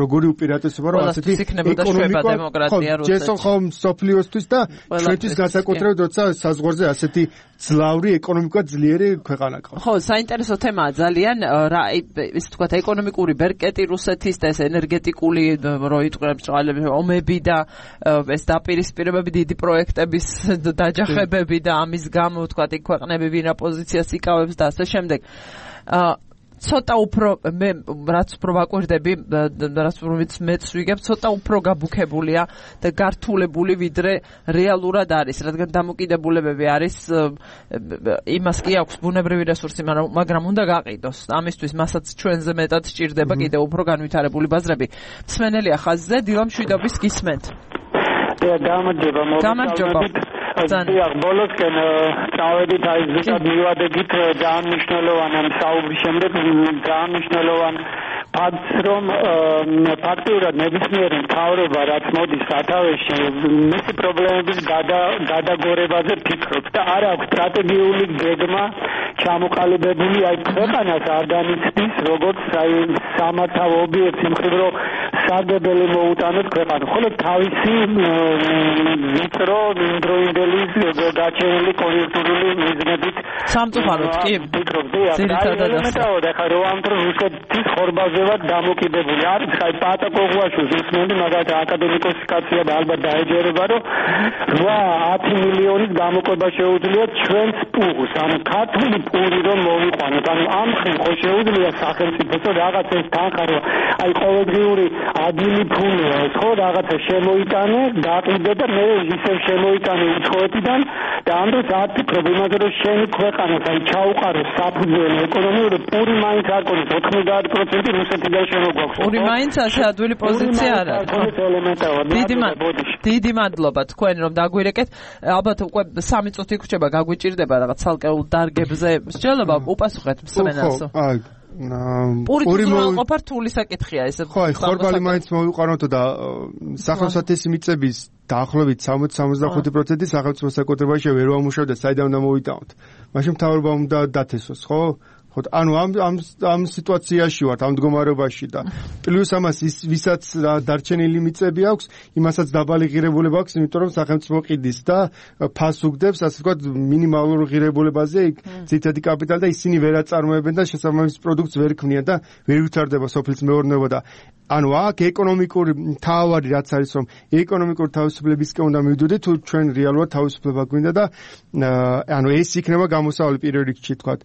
როგორი უპირატესობა რომ ასეთი ეკონომიკური დემოკრატია რუსეთში. ჯესო ხომ სოფლიოსთვის და ჩვენთვის განსაკუთრებით როცა საზღვარზე ასეთი ძლავრი ეკონომიკა ძლიერი ქვეყანა ყავს. ხო, საინტერესო თემაა ძალიან რა ის თქვა ეკონომიკური ბერკეტი რუსეთის და ეს ენერგეტიკული რო იტყვებს წყალები ომები და ეს დაპირისპირებები დიდი პროექტების დაჯახებები და ამის გამო თქვა იქ ქვეყნები ვინა პოზიციას იკავებს და ასე შემდეგ. ცოტა უფრო მე რაც უფრო ვაკვირდები რაც მეც ვიგებ ცოტა უფრო გაბუქებულია და გართულებული ვიდრე რეალურად არის რადგან დამოკიდებულებები არის იმას კი აქვს ბუნებრივი რესურსი მაგრამ უნდა გაყიდოს ამისთვის მასაც ჩვენზე მეტად სჭირდება კიდევ უფრო განვითარებული ბაზრები მსმენელია ხაზზე დილამ შვიდობის გისმენთ გამარჯობა ბოლოსკენ წავედით აი ზუსტად მივადებით ძალიან მნიშვნელოვანი საუბრის შემდეგ ძალიან მნიშვნელოვანი ფაქტს რომ ფაქტიურად ნებისმიერი მთავრობა რაც მოდის სათავეში მისი პრობლემების გადაგორებაზე ფიქრობს და არ აქვს სტრატეგიული გეგმა ჩამოყალიბებული აი ქვეყანას არ განიცდის როგორც აი სამართავ ობიექტს იმხრივ რომ სარგებელი მოუტანოს ქვეყანა ხოლო თავისი ვიწრო იმდროინდელი გაჩენილი კონიუნქტურული მიზნებით სამწუხაროდ კი ძირითადად ახლა რო ამ დროს რუსეთის ხორბალზევად დამოკიდებული არის ხაი პატაკოღუაშვილს უსმენდი მაგათ აკადემიკოსის კაცია და ალბათ დაეჯერება რომ 8-10 მილიონის გამოყვება შეუძლია ჩვენს პუღს ანუ ქართული პური რომ მოვიყვანოთ ანუ ამ ხრივ ხო შეუძლია სახელმწიფოს რაღაც ეს თანხა აი ყოველდღიური ადგილი ფულია ეს ხო რაღაცა შემოიტანე დაყიდე და მე ისევ შემოიტანე უცხოეთიდან და ამ დროს არ ფიქრობ იმაზე რომ შენი ქვეყანას აი ჩაუყარო საფუძველი ეკონომიური პური მაინც არ ყოლოს 90% რუსეთიდან შემოგვაქვს პური მაინც ასე ადვილი პოზიცია არ არის დიდი მადლობა თქვენ რომ დაგვირეკეთ ალბათ უკვე 3 წუთი გრჩება გაგვიჭირდება რაღაც ცალკეულ დარგებზე მსჯელობა უპასუხეთ მსმენელს პური მოიყოფა რთული საკითხია ეს ხო აი ხორბალი მაინც მოვიყვანოთ და სახელმწიფო მიწების დაახლოებით 60-65% სახელმწიფო საკუთრებაში ვერ ვამუშავდა საიდან უნდა მოვიტანოთ მაშინ მთავრობა უნდა დათესოს ხო ანუ ამ სიტუაციაში ვართ ამ მდგომარეობაში და პლუს ამას ვისაც დარჩენილი მიწები აქვს იმასაც დაბალი ღირებულება აქვს იმიტომ რომ სახელმწიფო ყიდის და ფას უგდებს ასე ვთქვათ მინიმალურ ღირებულებაზე იქ ძირითადი კაპიტალი და ისინი ვერ აწარმოებენ და შესაბამის პროდუქტს ვერ ქმნიან და ვერ ვითარდება სოფლის მეურნეობა და ანუ აქ ეკონომიკური თავარი რაც არის რომ ეკონომიკური თავისუფლებისკენ უნდა მივიდოდეთ თუ ჩვენ რეალურად თავისუფლება გვინდა და ანუ ეს იქნება გამოსავალი პირველ რიგში თქვათ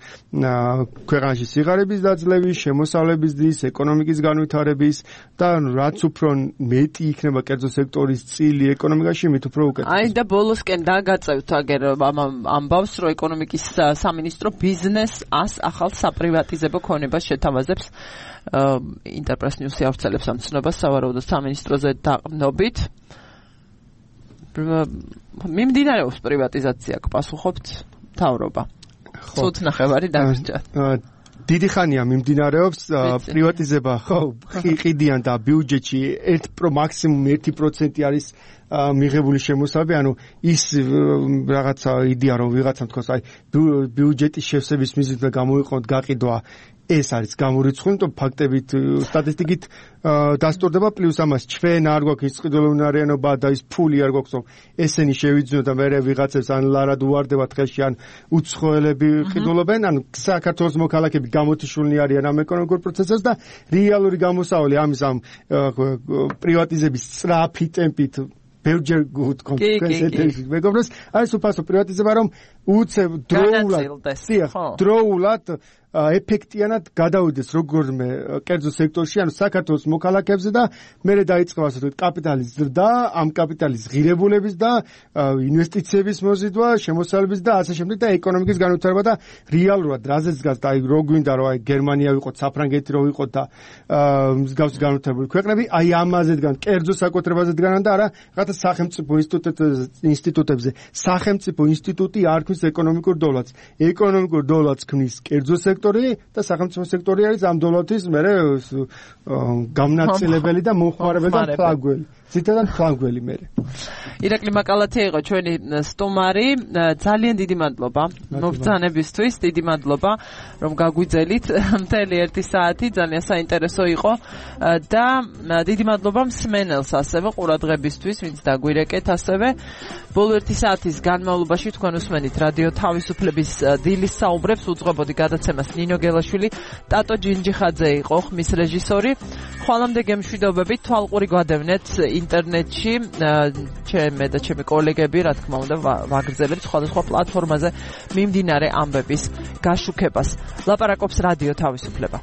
ქვეყანაში სიღარიბის დაძლევის, შემოსავლების დის, ეკონომიკის განვითარების და რაც უფრო მეტი იქნება კერძო სექტორის წილი ეკონომიკაში, მით უფრო უკეთესია. აი და ბოლოსკენ დაგაწევთ აგერ ამბავს, რომ ეკონომიკის სამინისტრო ბიზნეს 100 ახალ საპრივატიზებო ქონებას შეთავაზებს. ინტერპრეს ნიუსი ავრცელებს ამ ცნობას სავარაუდოდ სამინისტროზე დაყრდნობით. მიმდინარეობს პრივატიზაცია, გპასუხობთ მთავრობა. ცუთ ნახევარი დაგჭირდა. დიდი ხანია მიმდინარეობს პრივატიზება, ხო, ყიდიან და ბიუჯეტში 1% არის მიღებული შემოსავები, ანუ ის რაღაცა იდეა რომ ვიღაცამ თქვას, აი ბიუჯეტის შევსების მიზნით გამოიყენოთ გაყიდვა ეს არის გამორიცხული, იმიტომ ფაქტებით სტატისტიკით დასტურდება პლუს ამას ჩვენ არ გვაქვს ის ყიდულოვნარიანობა და ის ფული არ გვაქვს რომ ესენი შევიძინოთ და მე ვიღაცებს ან ლარად უვარდებათ ხელში ან უცხოელები ყიდულობენ, ან საქართველოს მოქალაქეები გამოთიშულნი არიან ამ ეკონომიკურ პროცესს და რეალური გამოსავალი ამის ამ პრივატიზების სწრაფი ტემპით ბევრჯერ გუთქონთ ესეთი მეგობრებს, აი სუფასო პრივატიზება რომ უცებ დროულად ეფექტიანად გადავიდეს როგორმე კერძო სექტორში, ანუ საქართველოს მოქალაქეებზე და მერე დაიწყება ასე ვთქვათ კაპიტალის ზრდა, ამ კაპიტალის ღირებულების და ინვესტიციების მოზიდვა, შემოსავლების და ასე შემდეგ და ეკონომიკის განვითარება და რეალურად რაზეც დგას და აი რო გვინდა რომ აი გერმანია ვიყოთ, საფრანგეთი რო ვიყოთ და მსგავსი განვითარებული ქვეყნები, აი ამაზე დგან, კერძო საკუთრებაზე დგანან და არა რაღაცა სახელმწიფო ინსტიტუტებზე. სახელმწიფო ინსტიტუტი არ ქმნის ეკონომიკურ დოლარს. ეკონომიკურ დოლარს ქმნის კერძო და სახელმწიფო სექტორი არის ამ დოლარების მერე გამნაწილებელი და მომხმარებელი და ფლაგველი. ზითადად ფლაგველი მერე. ირაკლი მაკალათი იყო ჩვენი სტუმარი. ძალიან დიდი მადლობა მობრძანებისთვის, დიდი მადლობა რომ გაგვიძელით მთელი 1 საათი, ძალიან საინტერესო იყო და დიდი მადლობა მსმენელს ასევე ყურადღებისთვის, ვინც დაგვირეკეთ ასევე. ბოლო 1 საათის განმავლობაში თქვენ უსმენით რადიო თავისუფლების დილის საუბრებს, უძღვებოდი გადაცემას ნინო გელაშვილი, ტატო ჯინჯიხაძე იყო ხმის რეჟისორი. ხვალამდე გემშვიდობებით, თვალყური გვადევნეთ ინტერნეტში, ჩემი და ჩემი კოლეგები, რა თქმა უნდა, ვაგრძელებთ სხვადასხვა პლატფორმაზე მიმდინარე ამბების გაშუქებას. ლაპარაკობს რადიო თავისუფლება.